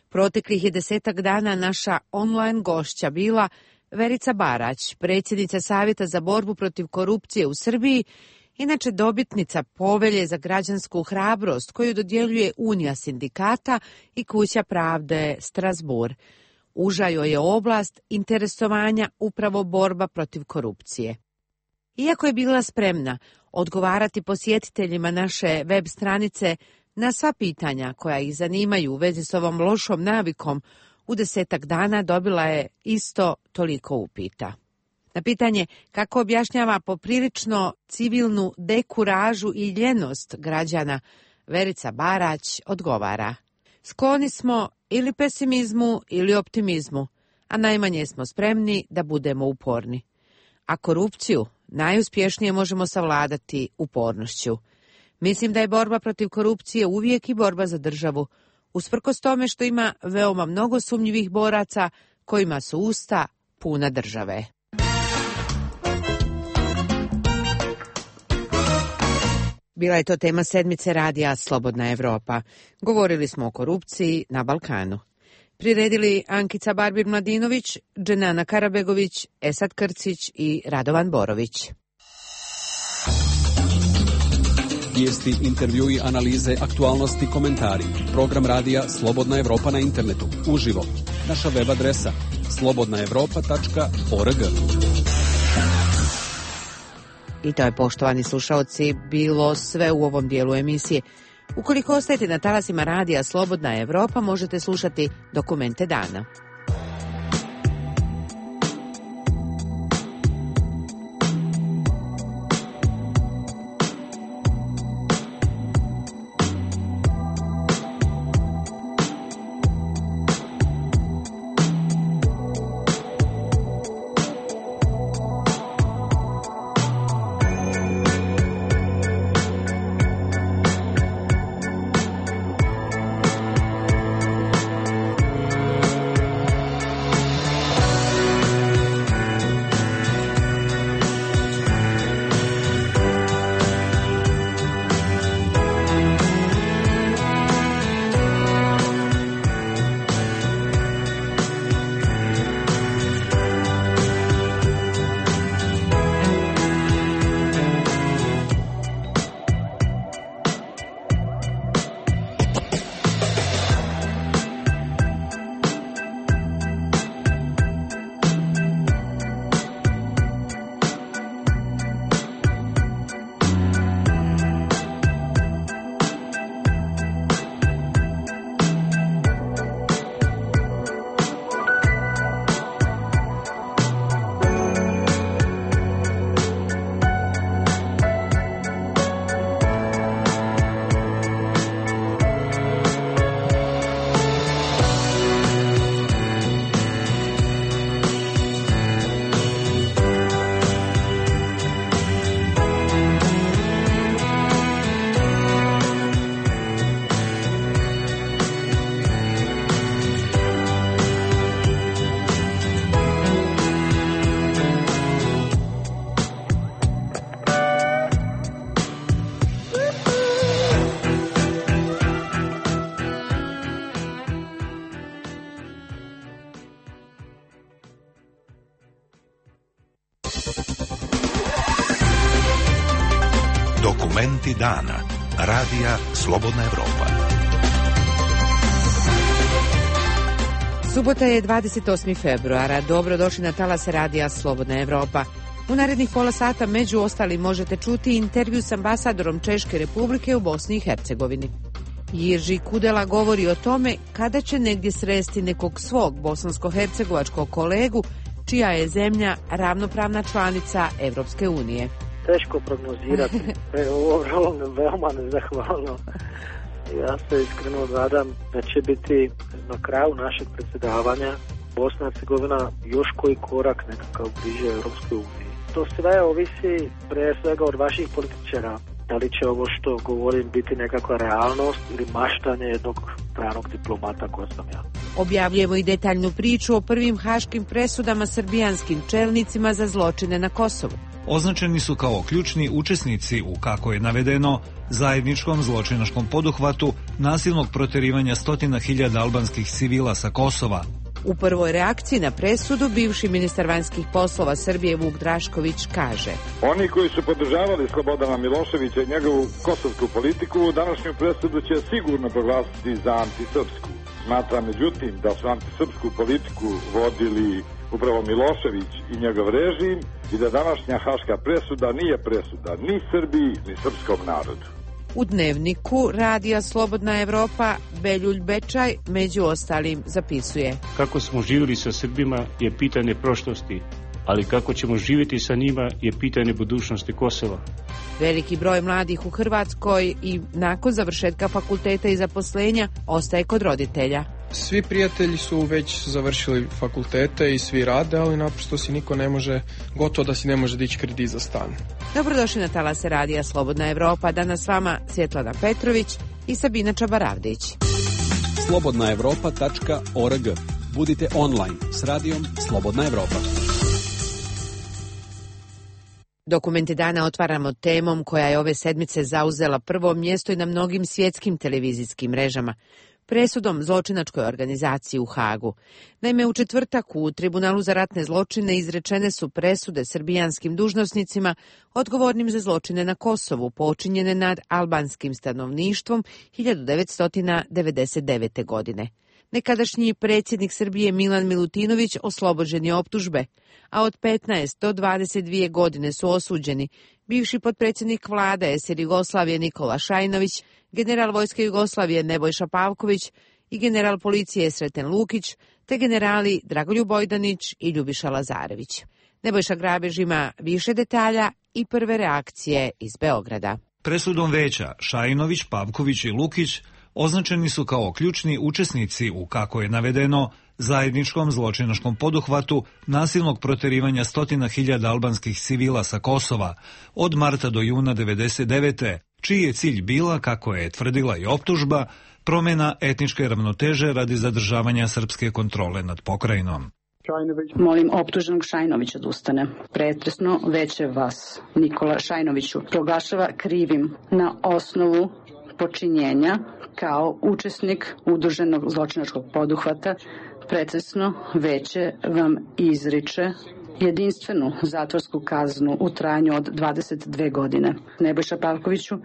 S1: Proteklih je desetak dana naša online gošća bila Verica Barać, predsjednica Savjeta za borbu protiv korupcije u Srbiji, inače dobitnica povelje za građansku hrabrost koju dodjeljuje Unija sindikata i Kuća pravde Strasbourg. Uža joj je oblast interesovanja upravo borba protiv korupcije. Iako je bila spremna odgovarati posjetiteljima naše web stranice na sva pitanja koja ih zanimaju u vezi s ovom lošom navikom, u desetak dana dobila je isto toliko upita. Na pitanje kako objašnjava poprilično civilnu dekuražu i ljenost građana, Verica Barać odgovara: skloni smo ili pesimizmu ili optimizmu, a najmanje smo spremni da budemo uporni. A korupciju najuspješnije možemo savladati upornošću. Mislim da je borba protiv korupcije uvijek i borba za državu, usprkos tome što ima veoma mnogo sumnjivih boraca kojima su usta puna države. Bila je to tema sedmice Radija Slobodna Evropa. Govorili smo o korupciji na Balkanu. Priredili Ankica Barbir-Mladinović, Dženana Karabegović, Esad Krcić i Radovan Borović.
S11: Vijesti, intervjui, analize, aktualnosti, komentari. Program radija Slobodna Evropa na internetu. Uživo. Naša web adresa slobodna evropa tačka org.
S1: I to je, poštovani slušaoci, bilo sve u ovom dijelu emisije. Ukoliko ostajete na talasima radija Slobodna Evropa, možete slušati Dokumente dana.
S10: Dokumenti dana. Radija Slobodna Evropa.
S1: Subota je dvadeset osmi februara. Dobrodošli na talas Radija Slobodna Evropa. U narednih pola sata među ostalim možete čuti intervju s ambasadorom Češke Republike u Bosni i Hercegovini. Jirži Kudela govori o tome kada će negdje sresti nekog svog bosansko-hercegovačkog kolegu čija je zemlja ravnopravna članica Evropske unije.
S12: Teško prognozirati, ovo je veoma nezahvalno. Ja se iskreno nadam da će biti na kraju našeg predsjedavanja Bosna i Hercegovina još koji korak nekakav bliže Europskoj uniji. To sve ovisi pre svega od vaših političara. Da li će ovo što govorim biti nekakva realnost ili maštanje jednog stranog diplomata ko sam ja.
S1: Objavljujemo i detaljnu priču o prvim haškim presudama srbijanskim čelnicima za zločine na Kosovu.
S13: Označeni su kao ključni učesnici u, kako je navedeno, zajedničkom zločinačkom poduhvatu nasilnog proterivanja stotina hiljada albanskih civila sa Kosova.
S1: U prvoj reakciji na presudu bivši ministar vanjskih poslova Srbije Vuk Drašković kaže:
S14: Oni koji su podržavali Slobodana Miloševića i njegovu kosovsku politiku, današnju presudu će sigurno proglasiti za antisrpsku. Smatram međutim da su antisrpsku politiku vodili upravo Milošević i njegov režim i da današnja haška presuda nije presuda ni Srbiji ni srpskom narodu.
S1: U dnevniku Radija Slobodna Evropa Beljulj Bečaj među ostalim zapisuje:
S17: Kako smo živjeli sa Srbima je pitanje prošlosti, ali kako ćemo živjeti sa njima je pitanje budućnosti Kosova.
S1: Veliki broj mladih u Hrvatskoj i nakon završetka fakulteta i zaposlenja ostaje kod roditelja.
S26: Svi prijatelji su već završili fakultete i svi rade, ali naprosto si niko ne može, gotovo da si ne može dići kredit za stan.
S1: Dobrodošli na talase Radija Slobodna Evropa. Danas s vama Svjetlana Petrović i Sabina Čabaravdić.
S11: slobodna evropa tačka org. Budite online s radijom Slobodna Evropa.
S1: Dokumenti dana otvaramo temom koja je ove sedmice zauzela prvo mjesto i na mnogim svjetskim televizijskim mrežama. Presudom zločinačkoj organizaciji u Hagu. Naime, u četvrtak u Tribunalu za ratne zločine izrečene su presude srbijanskim dužnosnicima odgovornim za zločine na Kosovu počinjene nad albanskim stanovništvom hiljadu devetsto devedeset devete. godine. Nekadašnji predsjednik Srbije Milan Milutinović oslobođen je optužbe, a od petnaest do dvadeset dvije godine su osuđeni bivši potpredsjednik vlade es er Jugoslavije Nikola Šajnović, general vojske Jugoslavije Nebojša Pavković i general policije Sreten Lukić, te generali Dragoljub Ojdanić i Ljubiša Lazarević. Nebojša Grabež ima više detalja i prve reakcije iz Beograda.
S13: Presudom veća Šajnović, Pavković i Lukić označeni su kao ključni učesnici u, kako je navedeno, zajedničkom zločinačkom poduhvatu nasilnog proterivanja stotina hiljada albanskih civila sa Kosova od marta do juna devedeset devete. čiji je cilj bila, kako je tvrdila i optužba, promjena etničke ravnoteže radi zadržavanja srpske kontrole nad pokrajinom.
S27: Molim optuženog Šajnovića da ustane. Pretresno veće vas, Nikola Šajnoviću, proglašava krivim na osnovu počinjenja kao učesnik udruženog zločinačkog poduhvata. Pretresno veće vam izriče jedinstvenu zatvorsku kaznu u trajanju od dvadeset dve godine. Nebojša Pavkoviću,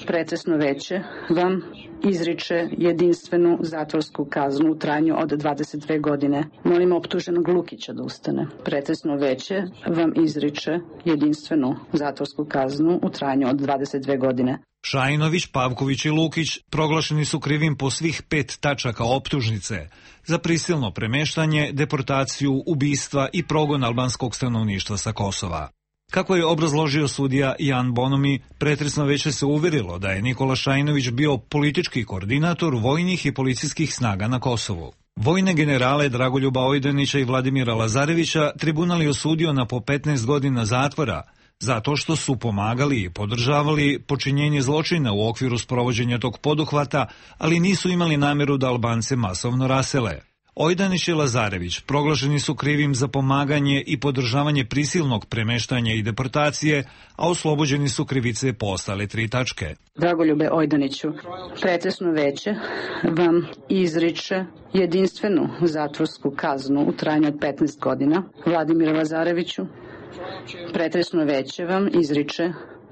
S27: pretresno veće vam izriče jedinstvenu zatvorsku kaznu u trajanju od dvadeset dve godine. Molim optuženog Lukića da ustane. Pretresno veće vam izriče jedinstvenu zatvorsku kaznu u trajanju od dvadeset dve godine.
S13: Šajnović, Pavković i Lukić proglašeni su krivim po svih pet tačaka optužnice za prisilno premeštanje, deportaciju, ubistva i progon albanskog stanovništva sa Kosova. Kako je obrazložio sudija Jan Bonomi, pretresno veće se uverilo da je Nikola Šajnović bio politički koordinator vojnih i policijskih snaga na Kosovu. Vojne generale Dragoljuba Ojdanića i Vladimira Lazarevića tribunal je osudio na po petnaest godina zatvora, zato što su pomagali i podržavali počinjenje zločina u okviru sprovođenja tog poduhvata, ali nisu imali namjeru da Albance masovno rasele. Ojdanić i Lazarević proglašeni su krivim za pomaganje i podržavanje prisilnog premeštanja i deportacije, a oslobođeni su krivice po ostale tri tačke.
S27: Dragoljube Ojdaniću, pretresno veće vam izriče jedinstvenu zatvorsku kaznu u trajanju od petnaest godina. Vladimiru Lazareviću, Pretresno veće vam izriče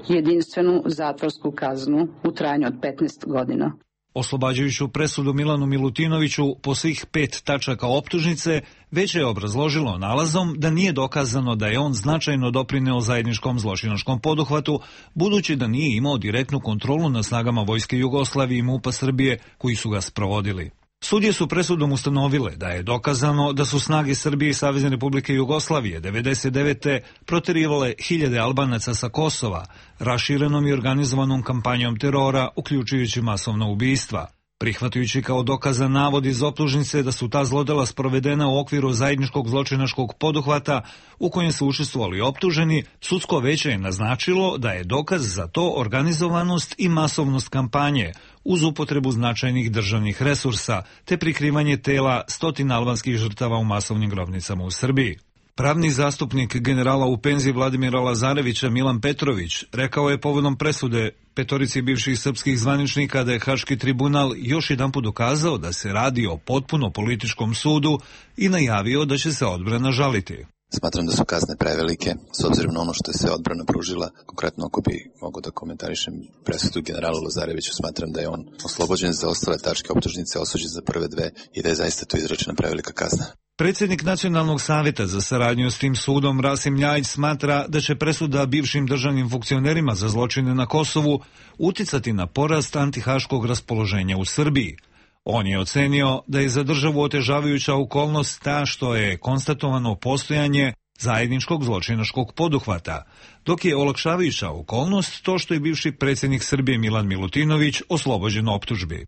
S27: jedinstvenu zatvorsku kaznu u trajanju od petnaest godina.
S13: Oslobađajuću presudu Milanu Milutinoviću po svih pet tačaka optužnice, Veće je obrazložilo nalazom da nije dokazano da je on značajno doprineo zajedničkom zločinačkom poduhvatu, budući da nije imao direktnu kontrolu nad snagama Vojske Jugoslavije i MUP-a Srbije koji su ga sprovodili. Sudije su presudom ustanovile da je dokazano da su snage Srbije i Savezne Republike Jugoslavije devedeset devete proterivale hiljade Albanaca sa Kosova, raširenom i organizovanom kampanjom terora, uključujući masovna ubistva. Prihvatajući kao dokazan navod iz optužnice da su ta zlodela sprovedena u okviru zajedničkog zločinačkog poduhvata u kojem su učestvovali optuženi, sudsko veće je naznačilo da je dokaz za to organizovanost i masovnost kampanje, uz upotrebu značajnih državnih resursa, te prikrivanje tela stotina albanskih žrtava u masovnim grobnicama u Srbiji. Pravni zastupnik generala u penziji Vladimira Lazarevića Milan Petrović rekao je povodom presude petorici bivših srpskih zvaničnika da je Haški tribunal još jedanput dokazao da se radi o potpuno političkom sudu i najavio da će se odbrana žaliti.
S4: Smatram da su kazne prevelike, s obzirom na ono što je se odbrana pružila. Konkretno, ako bi mogo da komentarišem presudu generalu Lazareviću, smatram da je on oslobođen za ostale tačke optužnice, osuđen za prve dve i da je zaista tu izrečena prevelika kazna.
S13: Predsjednik Nacionalnog savjeta za saradnju s tim sudom Rasim Ljajić smatra da će presuda bivšim državnim funkcionerima za zločine na Kosovu uticati na porast antihaškog raspoloženja u Srbiji. On je ocenio da je za državu otežavajuća okolnost ta što je konstatovano postojanje zajedničkog zločinačkog poduhvata, dok je olakšavajuća okolnost to što je bivši predsjednik Srbije Milan Milutinović oslobođen optužbi.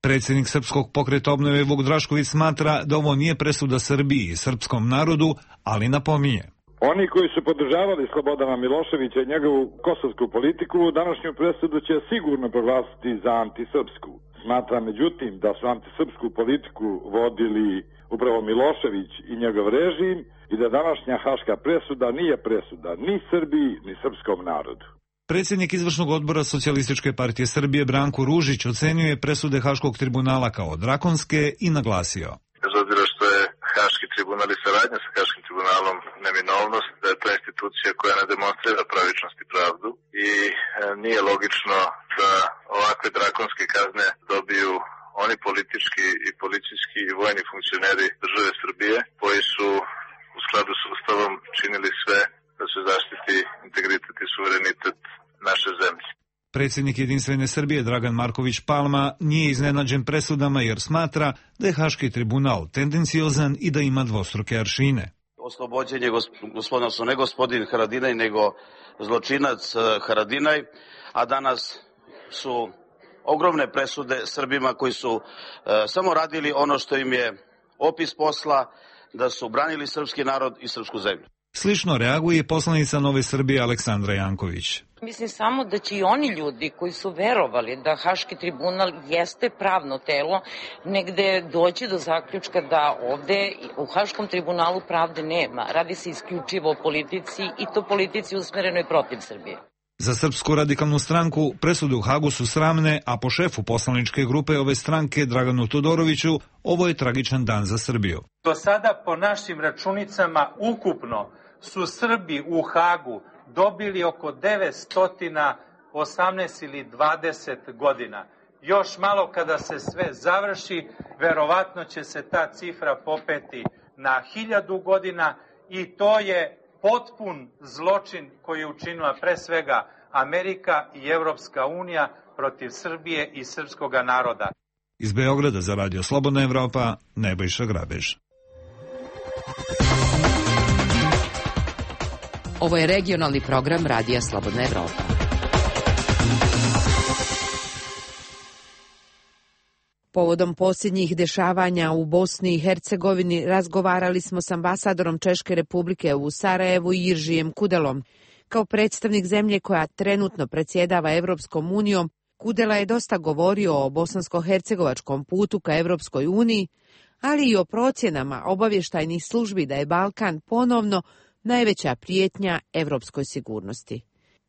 S13: Predsjednik Srpskog pokreta obnove Vuk Drašković smatra da ovo nije presuda Srbiji i srpskom narodu, ali napominje.
S14: Oni koji su podržavali Slobodana Miloševića i njegovu kosovsku politiku, današnju presudu će sigurno proglasiti za antisrpsku. Smatra međutim da su antisrpsku politiku vodili upravo Milošević i njegov režim i da današnja haška presuda nije presuda ni Srbiji ni srpskom narodu.
S13: Predsjednik izvršnog odbora Socijalističke partije Srbije Branko Ružić ocenjuje presude Haškog tribunala kao drakonske i naglasio.
S5: Bez obzira što je Haški tribunal i saradnja sa Haškim tribunalom neminovnost, da je to institucija koja ne demonstrira pravičnost i pravdu i nije logično da ovakve drakonske kazne dobiju oni politički i policijski i vojni funkcioneri države Srbije koji su u skladu s Ustavom činili sve da se zaštiti integritet i suverenitet naše zemlje.
S13: Predsjednik Jedinstvene Srbije Dragan Marković Palma nije iznenađen presudama jer smatra da je Haški tribunal tendenciozan i da ima dvostruke aršine.
S15: Oslobođen je gospodin, ne gospodin Haradinaj, nego zločinac Haradinaj, a danas su ogromne presude Srbima koji su e, samo radili ono što im je opis posla, da su branili srpski narod i srpsku zemlju.
S13: Slično reaguje poslanica Nove Srbije Aleksandra Janković.
S16: Mislim samo da će i oni ljudi koji su verovali da Haški tribunal jeste pravno telo, negde doći do zaključka da ovde u Haškom tribunalu pravde nema. Radi se isključivo o politici i to politici usmerenoj protiv Srbije.
S13: Za Srpsku radikalnu stranku presude u Hagu su sramne, a po šefu poslaničke grupe ove stranke Draganu Todoroviću ovo je tragičan dan za Srbiju.
S18: Do sada po našim računicama ukupno su Srbi u Hagu dobili oko devetsto osamnaest ili dvadeset godina. Još malo kada se sve završi, verovatno će se ta cifra popeti na hiljadu godina i to je potpun zločin koji je učinila pre svega Amerika i Evropska unija protiv Srbije i srpskog naroda.
S13: Iz Beograda za Radio Slobodna Evropa, Nebojša Grabež.
S1: Ovo je regionalni program Radija Slobodna Evropa. Povodom posljednjih dešavanja u Bosni i Hercegovini razgovarali smo s ambasadorom Češke Republike u Sarajevu Jiržijem Kudelom. Kao predstavnik zemlje koja trenutno predsjedava Evropskom unijom, Kudela je dosta govorio o bosansko-hercegovačkom putu ka Evropskoj uniji, ali i o procjenama obavještajnih službi da je Balkan ponovno najveća prijetnja evropskoj sigurnosti.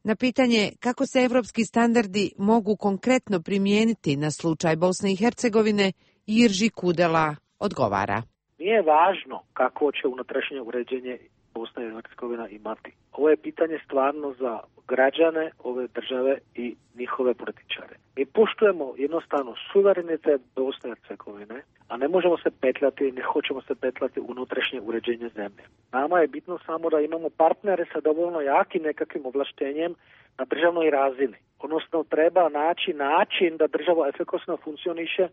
S1: Na pitanje kako se evropski standardi mogu konkretno primijeniti na slučaj Bosne i Hercegovine, Jirži Kudela odgovara.
S12: Nije važno kako će unutrašnje uređenje Bosna i Hercegovina imati ovo je pitanje stvarno za građane ove države i njihove političare. Mi poštujemo jednostavno suverenitet Bosne i Hercegovine, a ne možemo se petljati, ne hoćemo se petljati unutrašnje uređenje zemlje. Nama je bitno samo da imamo partnere sa dovoljno jakim nekakvim ovlaštenjem na državnoj razini. Odnosno treba naći način da država efikasno funkcioniše,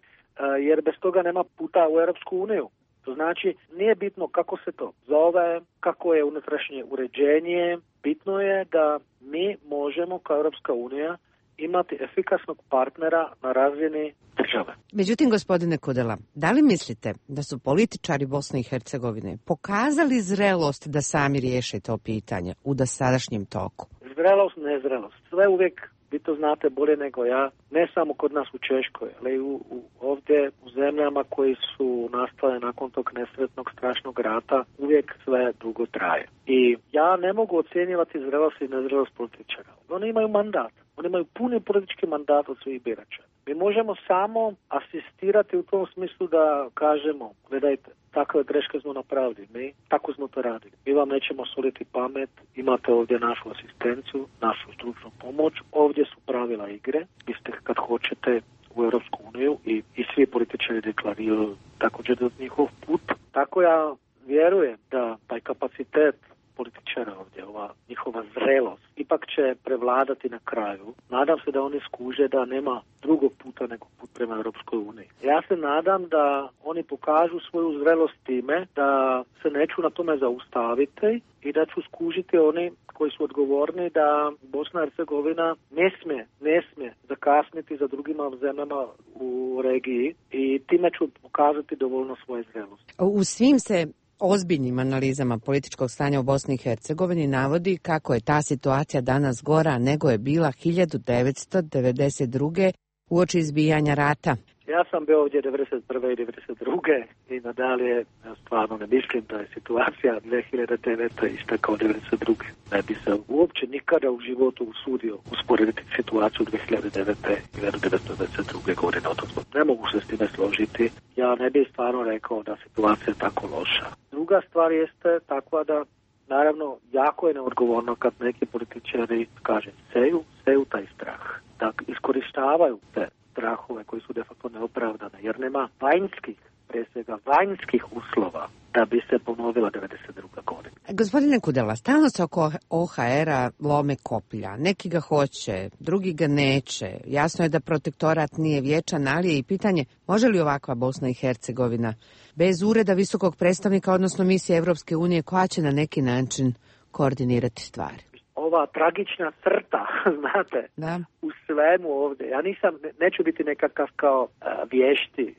S12: jer bez toga nema puta u Europsku uniju. To znači, nije bitno kako se to zove, kako je unutrašnje uređenje, bitno je da mi možemo kao Europska unija imati efikasnog partnera na razini države.
S1: Međutim, gospodine Kudela, da li mislite da su političari Bosne i Hercegovine pokazali zrelost da sami riješe to pitanje u dosadašnjem toku?
S12: Zrelost, nezrelost. Sve uvijek, vi to znate bolje nego ja, ne samo kod nas u Češkoj, ali u, u, ovdje u zemljama koji su nastale nakon tog nesretnog strašnog rata, uvijek sve dugo traje. I ja ne mogu ocjenjivati zrelost i nezrelost političara. Oni imaju mandat. Oni imaju puni politički mandat od svih birača. Mi možemo samo asistirati u tom smislu da kažemo, gledajte, takve greške smo napravili, mi tako smo to radili. Mi vam nećemo soliti pamet, imate ovdje našu asistenciju, našu stručnu pomoć, ovdje su pravila igre, vi ste kad hoćete u Europsku uniju i, i svi političari deklariraju također da njihov put. Tako ja vjerujem da taj kapacitet političara ovdje, ova njihova zrelost, ipak će prevladati na kraju. Nadam se da oni skuže da nema drugog puta nego put prema Europskoj uniji. Ja se nadam da oni pokažu svoju zrelost time da se neću na tome zaustaviti i da ću skužiti oni koji su odgovorni da Bosna i Hercegovina ne smije, ne smije zakasniti za drugima zemljama u regiji i time ću pokazati dovoljno svoje zrelosti.
S1: U svim se ozbiljnim analizama političkog stanja u Bosni i Hercegovini navodi kako je ta situacija danas gora nego je bila hiljadu devetsto devedeset druge uoči izbijanja rata.
S12: Ja sam bio ovdje devedeset prve i devedeset druge i nadalje stvarno ne mislim da je situacija dvije hiljade devete ista kao devedeset druge. Ne bi se uopće nikada u životu usudio usporediti situaciju dvije hiljade devete i devedeset druge godine. Ne mogu se s time složiti. Ja ne bih stvarno rekao da situacija je tako loša. Druga stvar jeste takva da naravno jako je neodgovorno kad neki političari, kaže, seju, seju taj strah. Da iskorištavaju te strahove koji su de facto neopravdane, jer nema vanjskih, prije svega vanjskih uslova da bi se ponovila devedeset druga godina.
S1: Gospodine Kudela, stalno se oko O H R-a lome koplja. Neki ga hoće, drugi ga neće. Jasno je da protektorat nije vječan, ali je i pitanje može li ovakva Bosna i Hercegovina bez ureda visokog predstavnika, odnosno misije Evropske unije, koja će na neki način koordinirati stvari?
S12: Ova tragična crta, znate,
S1: da.
S12: U svemu ovdje. Ja nisam, neću biti nekakav kao uh, vješti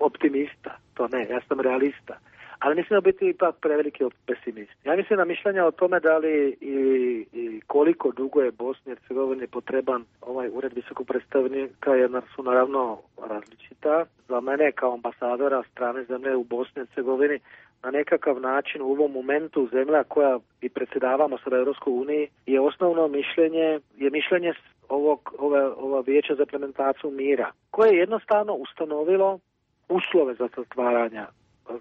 S12: optimista, to ne, ja sam realista. Ali ne smijemo biti ipak preveliki pesimist. Ja mislim na mišljenja o tome da li i, i koliko dugo je Bosni i Hercegovini potreban ovaj ured visokog predstavnika, jer su naravno različita. Za mene kao ambasadora strane zemlje u Bosni i Hercegovini na nekakav način u ovom momentu zemlja koja i predsjedavamo sada Europskoj uniji je osnovno mišljenje, je mišljenje ovog, ove, ova vijeća za implementaciju mira, koje je jednostavno ustanovilo uslove za zatvaranje,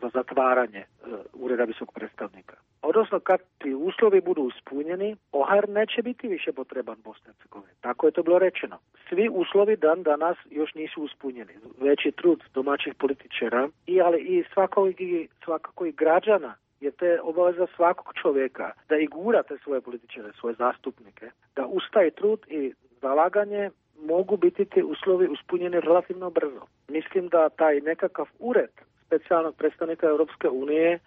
S12: za zatvaranje uh, ureda visokog predstavnika. Odnosno, kad ti uslovi budu ispunjeni, O H R neće biti više potreban Bosni i Hercegovini. Tako je to bilo rečeno. Svi uslovi dan danas još nisu ispunjeni. Veći trud domaćih političara, i, ali i svakako, i svakako i građana, jer te obaveza svakog čovjeka da i gura te svoje političare, svoje zastupnike, da ustaje trud i zalaganje mogu biti ti uslovi ispunjeni relativno brzo. Mislim da taj nekakav ured specijalnog predstavnika Europske unije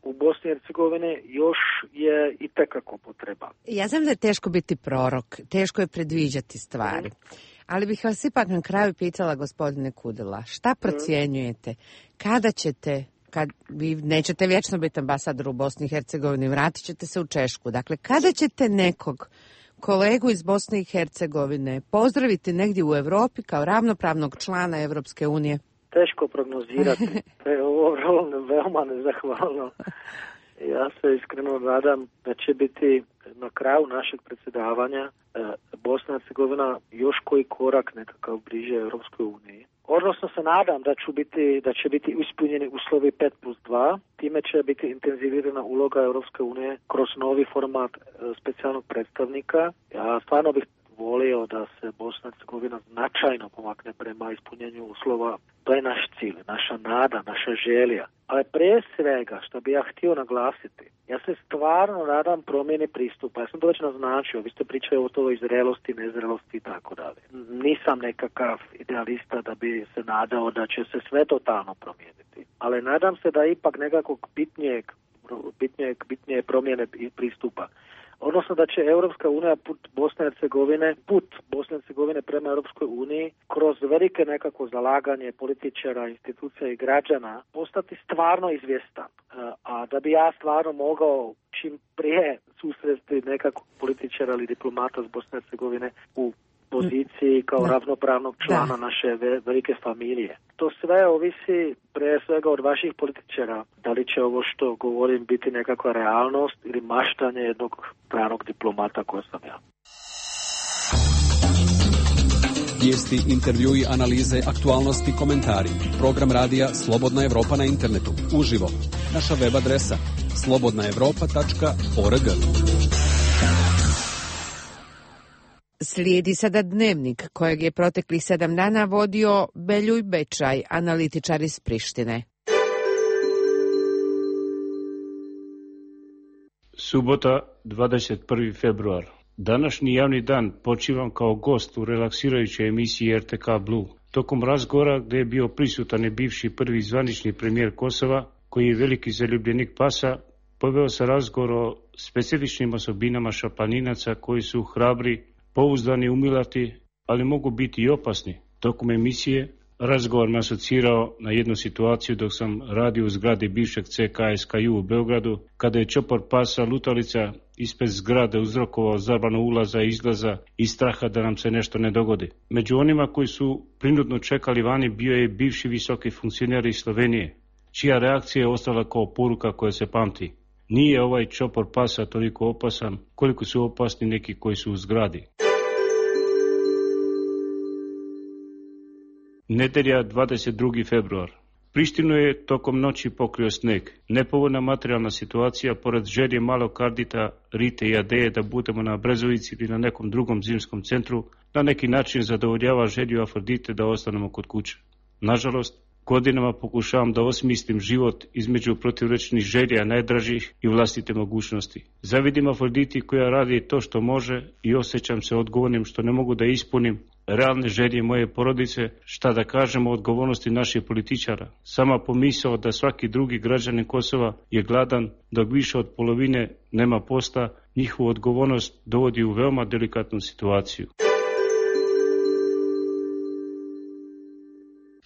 S12: u Bosni i Hercegovini još je i tekako potreba.
S1: Ja znam da je teško biti prorok, teško je predviđati stvari, mm. ali bih vas ipak na kraju pitala, gospodine Kudela, šta procjenjujete, kada ćete, kad vi nećete vječno biti ambasador u Bosni i Hercegovini, vratit ćete se u Češku, dakle, kada ćete nekog kolegu iz Bosne i Hercegovine pozdraviti negdje u Europi kao ravnopravnog člana Europske unije?
S12: Teško prognozirati. To je ovo veoma nezahvalno. Ja se iskreno nadam da će biti na kraju našeg predsjedavanja Bosna i Hercegovina još koji korak nekakav bliže Europskoj uniji. Odnosno se nadam da će biti, da će biti ispunjeni uslovi pet plus dva, time će biti intenzivirana uloga Europske unije kroz novi format e, specijalnog predstavnika. Ja stvarno bih volio da se Bosna i Hercegovina značajno pomakne prema ispunjenju uslova. To je naš cilj, naša nada, naša želja. Ali prije svega, što bi ja htio naglasiti, ja se stvarno nadam promjeni pristupa. Ja sam to već naznačio, vi ste pričali o toj zrelosti, nezrelosti i tako dalje. Nisam nekakav idealista da bi se nadao da će se sve totalno promijeniti. Ali nadam se da ipak nekakvog bitnijeg, bitnijeg, bitnije promjene pristupa. Odnosno da će Europska unija put Bosne i Hercegovine, put Bosne i Hercegovine prema Europskoj uniji kroz velike nekako zalaganje političara, institucija i građana postati stvarno izvjestan. A da bi ja stvarno mogao čim prije susresti nekakvog političara ili diplomata s Bosne i Hercegovine u poziciji kao da. ravnopravnog člana da. naše velike familije. To sve ovisi prije svega od vaših političara. Da li će ovo što govorim biti nekakva realnost ili maštanje jednog stranog diplomata koji sam ja.
S11: Vijesti, intervjui, analize, aktualnosti, komentari. Program radija Slobodna Evropa na internetu. Uživo. Naša web adresa slobodna evropa tačka org.
S1: Slijedi sada dnevnik kojeg je proteklih sedam dana vodio Beljuj Bečaj, analitičar iz Prištine.
S17: Subota, dvadeset prvi februar. Današnji javni dan počivam kao gost u relaksirajućoj emisiji R T K Blue. Tokom razgovora gdje je bio prisutan i bivši prvi zvanični premijer Kosova, koji je veliki zaljubljenik pasa, poveo se razgovor o specifičnim osobinama šaplaninaca koji su hrabri, pouzdani, umilati, ali mogu biti i opasni. Tokom emisije razgovor me asocirao na jednu situaciju dok sam radio u zgradi bivšeg C K S K U u Beogradu, kada je čopor pasa lutalica ispred zgrade uzrokovao zabranu ulaza i izlaza i straha da nam se nešto ne dogodi. Među onima koji su prinudno čekali vani bio je bivši visoki funkcioner iz Slovenije, čija reakcija je ostala kao poruka koja se pamti. Nije ovaj čopor pasa toliko opasan koliko su opasni neki koji su u zgradi. Nedelja, dvadeset drugi februar. Prištinu je tokom noći pokrio sneg. Nepovoljna materijalna situacija pored želje malog Kardita, Rite i Adeje da budemo na Brezovici ili na nekom drugom zimskom centru, na neki način zadovoljava želju Afrodite da ostanemo kod kuće. Nažalost, godinama pokušavam da osmislim život između protivrečnih želja najdražih i vlastite mogućnosti. Zavidim Afroditi koja radi to što može i osjećam se odgovornim što ne mogu da ispunim realne želje moje porodice, šta da kažemo o odgovornosti naših političara. Sama pomisao da svaki drugi građanin Kosova je gladan, dok više od polovine nema posla, njihovu odgovornost dovodi u veoma delikatnu situaciju.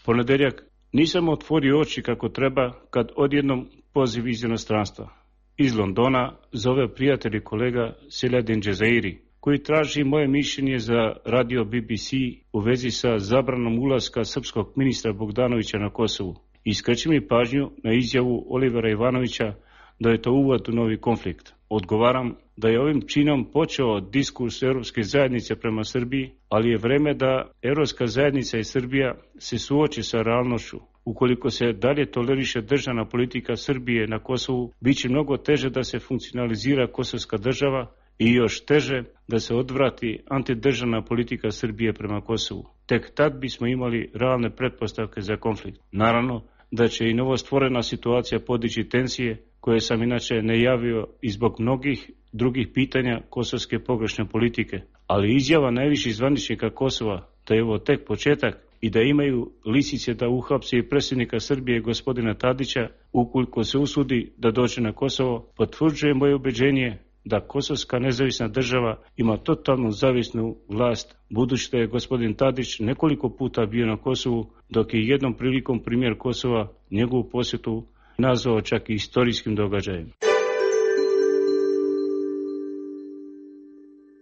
S17: Ponedeljak. Nisam otvorio oči kako treba kad odjednom poziv iz inostranstva. Iz Londona zove prijatelj i kolega Seladin Džezairi, koji traži moje mišljenje za radio B B C u vezi sa zabranom ulaska srpskog ministra Bogdanovića na Kosovu. I skreće mi pažnju na izjavu Olivera Ivanovića da je to uvod u novi konflikt. Odgovaram da je ovim činom počeo diskurs Europske zajednice prema Srbiji, ali je vreme da Europska zajednica i Srbija se suoče sa realnošću. Ukoliko se dalje toleriše državna politika Srbije na Kosovu, bit će mnogo teže da se funkcionalizira kosovska država i još teže da se odvrati antidržavna politika Srbije prema Kosovu. Tek tad bismo imali realne pretpostavke za konflikt. Naravno da će i novostvorena situacija podići tenzije, koje sam inače najavio i zbog mnogih drugih pitanja kosovske pogrešne politike. Ali izjava najviših zvaničnika Kosova da je ovo tek početak i da imaju lisice da uhapse i predsjednika Srbije gospodina Tadića ukoliko se usudi da dođe na Kosovo, potvrđuje moje ubeđenje da kosovska nezavisna država ima totalnu zavisnu vlast, budući da je gospodin Tadić nekoliko puta bio na Kosovu, dok je jednom prilikom premijer Kosova njegovu posjetu nazvao čak i istorijskim događajem.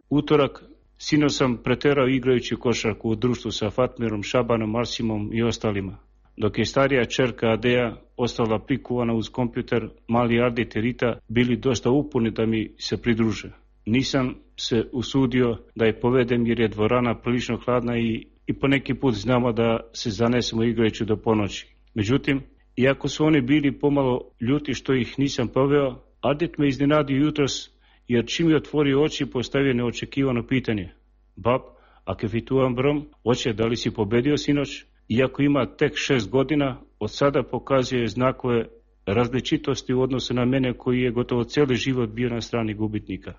S17: Utorak, sinoć sam preterao igrajući košarku u društvu sa Fatmirom, Šabanom, Arsimom i ostalima. Dok je starija čerka Adeja ostala prikuvana uz kompjuter, mali Ardit i Rita bili dosta upuni da mi se pridruže. Nisam se usudio da je povedem jer je dvorana prilično hladna i i poneki put znamo da se zanesemo igrajući do ponoći. Međutim, iako su oni bili pomalo ljuti što ih nisam poveo, Adit me iznenadio jutros, jer čim je otvorio oči postavio neočekivano pitanje. Bab, a kefituam brom, oče, da li si pobedio sinoć? Iako ima tek šest godina, od sada pokazuje znakove različitosti u odnosu na mene koji je gotovo cijeli život bio na strani gubitnika.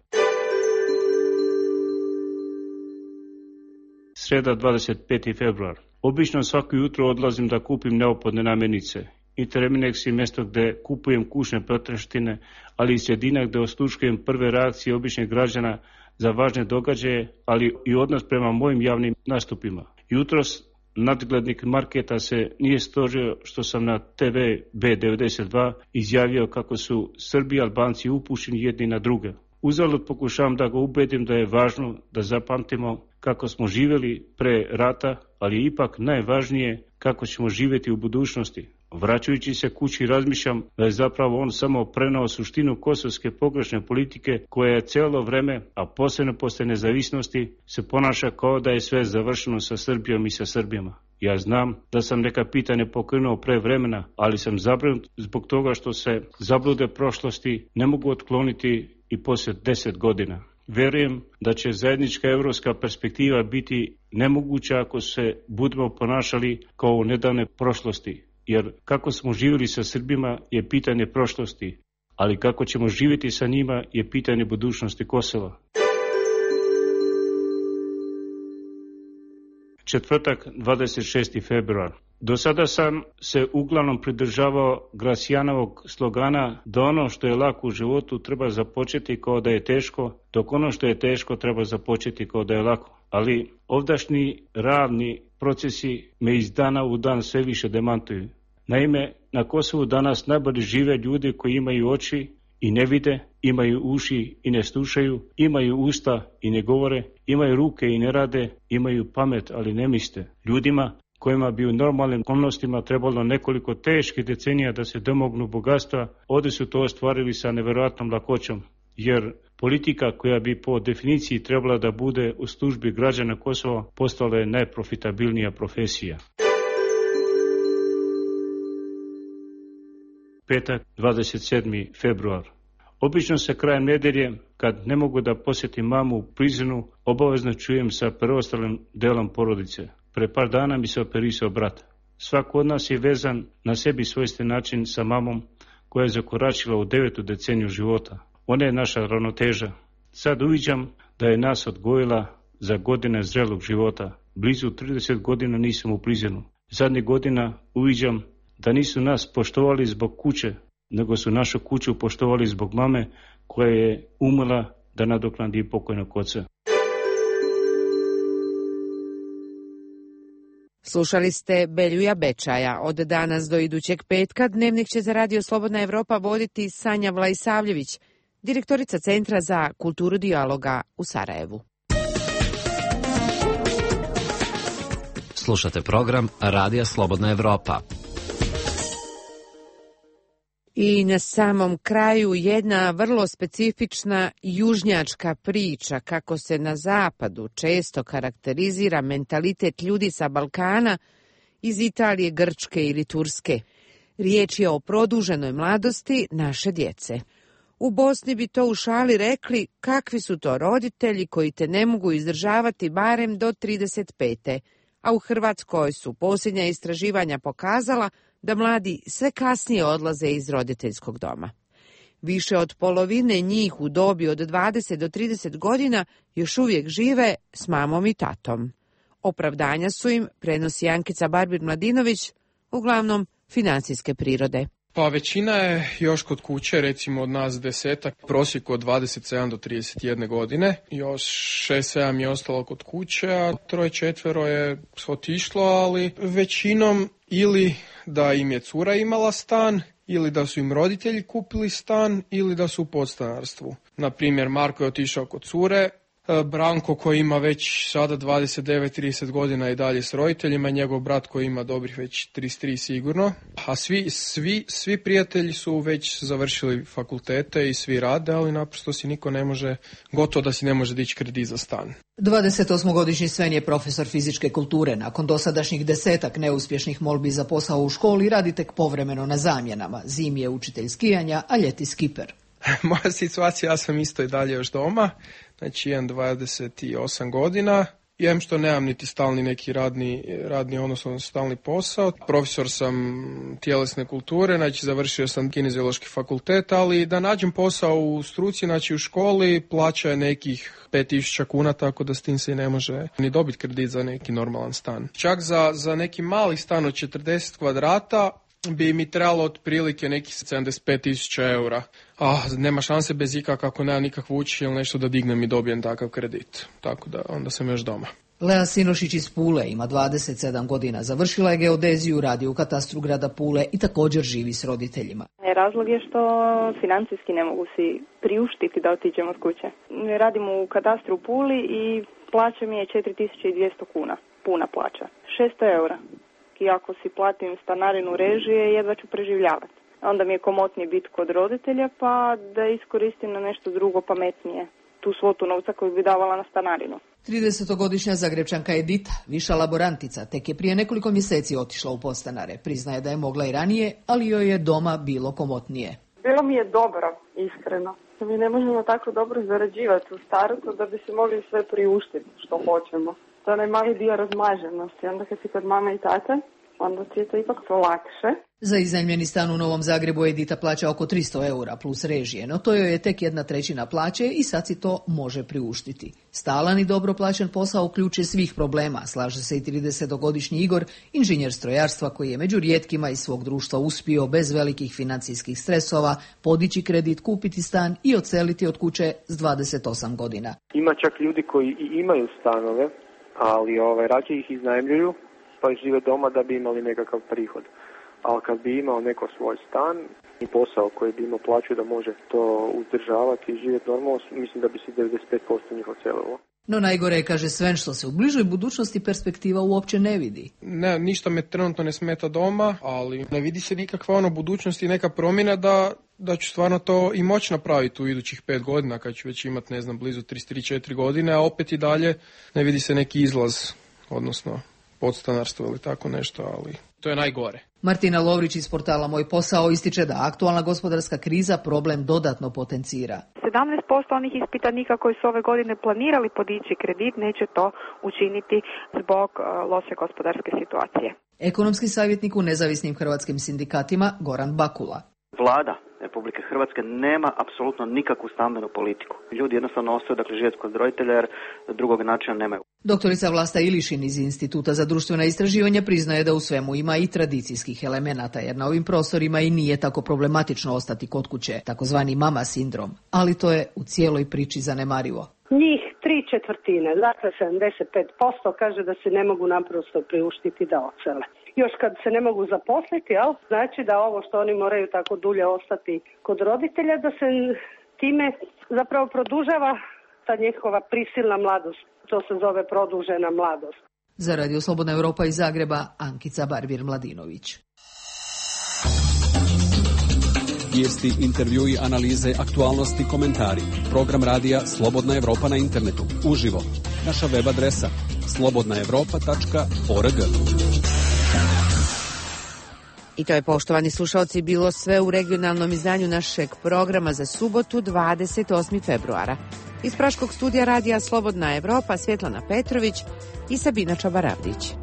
S17: Sreda, dvadeset peti februar. Obično svako jutro odlazim da kupim neophodne namirnice. Interminex je mjesto gdje kupujem kućne potrepštine, ali i sredina gdje osluškujem prve reakcije običnih građana za važne događaje, ali i odnos prema mojim javnim nastupima. Jutros nadglednik marketa se nije stožio što sam na te ve be devedeset dva izjavio kako su Srbi i Albanci upušeni jedni na druge. Uzalud pokušavam da ga ubedim da je važno da zapamtimo kako smo živjeli pre rata, ali je ipak najvažnije kako ćemo živjeti u budućnosti. Vraćajući se kući razmišljam da je zapravo on samo prenao suštinu kosovske pogrešne politike koja je cijelo vreme, a posebno posle nezavisnosti, se ponaša kao da je sve završeno sa Srbijom i sa Srbijama. Ja znam da sam neka pitanja pokrenuo pre vremena, ali sam zabrinut zbog toga što se zablude prošlosti ne mogu otkloniti i poslije deset godina. Verujem da će zajednička evropska perspektiva biti nemoguća ako se budemo ponašali kao u nedavne prošlosti. Jer kako smo živjeli sa Srbima je pitanje prošlosti, ali kako ćemo živjeti sa njima je pitanje budućnosti Kosova. Četvrtak, dvadeset šesti februar. Do sada sam se uglavnom pridržavao Gracijanovog slogana da ono što je lako u životu treba započeti kao da je teško, dok ono što je teško treba započeti kao da je lako. Ali ovdašnji ravni procesi me iz dana u dan sve više demantuju. Naime, na Kosovu danas najbolje žive ljudi koji imaju oči i ne vide, imaju uši i ne slušaju, imaju usta i ne govore, imaju ruke i ne rade, imaju pamet ali ne misle. Ljudima kojima bi u normalnim okolnostima trebalo nekoliko teških decenija da se domognu bogatstva, ovdje su to ostvarili sa nevjerojatnom lakoćom. Jer politika koja bi po definiciji trebala da bude u službi građana Kosova postala je najprofitabilnija profesija. Petak, dvadeset sedmi februar. Obično se krajem nedelje, kad ne mogu da posjetim mamu u Prizrenu, obavezno čujem sa preostalim delom porodice. Pre par dana mi se operisao brat. Svako od nas je vezan na sebi svojstven način sa mamom koja je zakoračila u devetu deceniju života. Ona je naša ravnoteža. Sad uviđam da je nas odgojila za godine zrelog života. Blizu trideset godina nisam u Prizrenu. Zadnjih godina uviđam da nisu nas poštovali zbog kuće, nego su našu kuću poštovali zbog mame koja je umela da nadoknadi pokojnog oca.
S1: Slušali ste Beljuja Bečaja. Od danas do idućeg petka dnevnik će za Radio Slobodna Evropa voditi Sanja Vlaisavljević, direktorica Centra za kulturu dijaloga u Sarajevu.
S6: Slušate program Radija Slobodna Evropa.
S1: I na samom kraju jedna vrlo specifična južnjačka priča kako se na zapadu često karakterizira mentalitet ljudi sa Balkana iz Italije, Grčke ili Turske. Riječ je o produženoj mladosti naše djece. U Bosni bi to u šali rekli kakvi su to roditelji koji te ne mogu izdržavati barem do trideset pete, a u Hrvatskoj su posljednja istraživanja pokazala da mladi sve kasnije odlaze iz roditeljskog doma. Više od polovine njih u dobi od dvadeset do trideset godina još uvijek žive s mamom i tatom. Opravdanja su im, prenosi Ankica Barbir-Mladinović, uglavnom financijske prirode.
S26: Pa većina je još kod kuće, recimo od nas desetak, prosjek od dvadeset sedam do trideset jedne godine. Još šest sedam je ostalo kod kuće, a troje četvero je otišlo, ali većinom ili da im je cura imala stan, ili da su im roditelji kupili stan, ili da su u podstanarstvu. Na primjer, Marko je otišao kod cure, Branko koji ima već sada dvadeset devet trideset godina i dalje s roditeljima, njegov brat koji ima dobrih već trideset tri sigurno, a svi, svi, svi prijatelji su već završili fakultete i svi rade, ali naprosto si niko ne može, gotovo da si ne može dići kredit za stan.
S21: dvadesetosmogodišnji Sven je profesor fizičke kulture. Nakon dosadašnjih desetak neuspješnih molbi za posao u školi radi tek povremeno na zamjenama. Zimi je učitelj skijanja, a ljeti skiper.
S26: Moja situacija, ja sam isto i dalje još doma, znači imam dvadeset osam godina. Jem što nemam niti stalni neki radni, radni odnosno stalni posao. Profesor sam tjelesne kulture, znači završio sam kineziološki fakultet, ali da nađem posao u struci, znači u školi, plaća je nekih pet tisuća kuna, tako da s tim se i ne može ni dobiti kredit za neki normalan stan. Čak za, za neki mali stan od četrdeset kvadrata bi mi trebalo otprilike nekih sedamdeset pet tisuća eura. A nema šanse bez ikak, ako nema nikakvu učitelj ili nešto da dignem i dobijem takav kredit. Tako da onda sam još doma.
S21: Lea Sinošić iz Pule ima dvadeset sedam godina, završila je geodeziju, radi u katastru grada Pule i također živi s roditeljima.
S7: Razlog je što financijski ne mogu si priuštiti da otiđem od kuće. Radim u katastru u Puli i plaća mi je četiri tisuće dvjesto kuna, puna plaća, šesto eura. I ako si platim stanarinu, režije, jedva ću preživljavati. Onda mi je komotnije biti kod roditelja pa da iskoristim na nešto drugo pametnije tu svotu novca koju bi davala na stanarinu.
S21: tridesetogodišnja Zagrebčanka Edita, viša laborantica, tek je prije nekoliko mjeseci otišla u podstanare. Priznaje da je mogla i ranije, ali joj je doma bilo komotnije.
S8: Bilo mi je dobro, iskreno. Mi ne možemo tako dobro zarađivati u startu da bi se mogli sve priuštiti što hoćemo. To je onaj mali dio razmaženosti. Onda kad si kod mame i tate, onda ti je to ipak to lakše.
S21: Za iznajmljeni stan u Novom Zagrebu Edita plaća oko tristo eura plus režije, no to joj je tek jedna trećina plaće i sad si to može priuštiti. Stalan i dobro plaćen posao uključuje svih problema, slaže se i tridesetogodišnji Igor, inženjer strojarstva koji je među rijetkima iz svog društva uspio bez velikih financijskih stresova podići kredit, kupiti stan i odseliti od kuće s dvadeset osam godina.
S12: Ima čak ljudi koji i imaju stanove, ali ovaj, rađe ih iznajmljuju pa žive doma da bi imali nekakav prihod. Ali kad bi imao neko svoj stan i posao koji bi imao plaću da može to uzdržavati i živjeti normalno, mislim da bi se devedeset pet posto njih odselilo.
S21: No najgore je, kaže Sven, što se u bližoj budućnosti perspektiva uopće ne vidi.
S26: Ne, ništa me trenutno ne smeta doma, ali ne vidi se nikakva ono budućnost i neka promjena da, da ću stvarno to i moći napraviti u idućih pet godina, kad ću već imati, ne znam, blizu trideset tri četiri godine, a opet i dalje ne vidi se neki izlaz, odnosno podstanarstvo ili tako nešto, ali to je najgore.
S21: Martina Lovrić iz portala Moj posao ističe da aktualna gospodarska kriza problem dodatno potencira.
S19: sedamnaest posto onih ispitanika koji su ove godine planirali podići kredit neće to učiniti zbog loše gospodarske situacije.
S21: Ekonomski savjetnik u nezavisnim hrvatskim sindikatima Goran Bakula.
S20: Vlada Republike Hrvatske nema apsolutno nikakvu stambenu politiku. Ljudi jednostavno ostaju, dakle, živjeti kod roditelja jer drugog načina nemaju.
S21: Doktorica Vlasta Ilišin iz Instituta za društvena istraživanja priznaje da u svemu ima i tradicijskih elemenata, jer na ovim prostorima i nije tako problematično ostati kod kuće, takozvani mama sindrom, ali to je u cijeloj priči zanemarivo.
S22: Njih tri četvrtine, dakle sedamdeset pet posto kaže da se ne mogu naprosto priuštiti da odsele. Još kad se ne mogu zaposliti, jel? Znači da ovo što oni moraju tako dulje ostati kod roditelja, da se time zapravo produžava ta njihova prisilna mladost. To se zove produžena mladost.
S21: Za Radio Slobodna Europa iz Zagreba, Ankica Barbir-Mladinović.
S11: Vijesti, intervjui, analize, aktualnosti, komentari. Program radija Slobodna Europa na internetu. Uživo. Naša web adresa slobodna europa tačka org.
S1: I to je, poštovani slušalci, bilo sve u regionalnom izdanju našeg programa za subotu dvadeset osmog februara. Iz Praškog studija radija Slobodna Europa Svjetlana Petrović i Sabina Čabaravdić.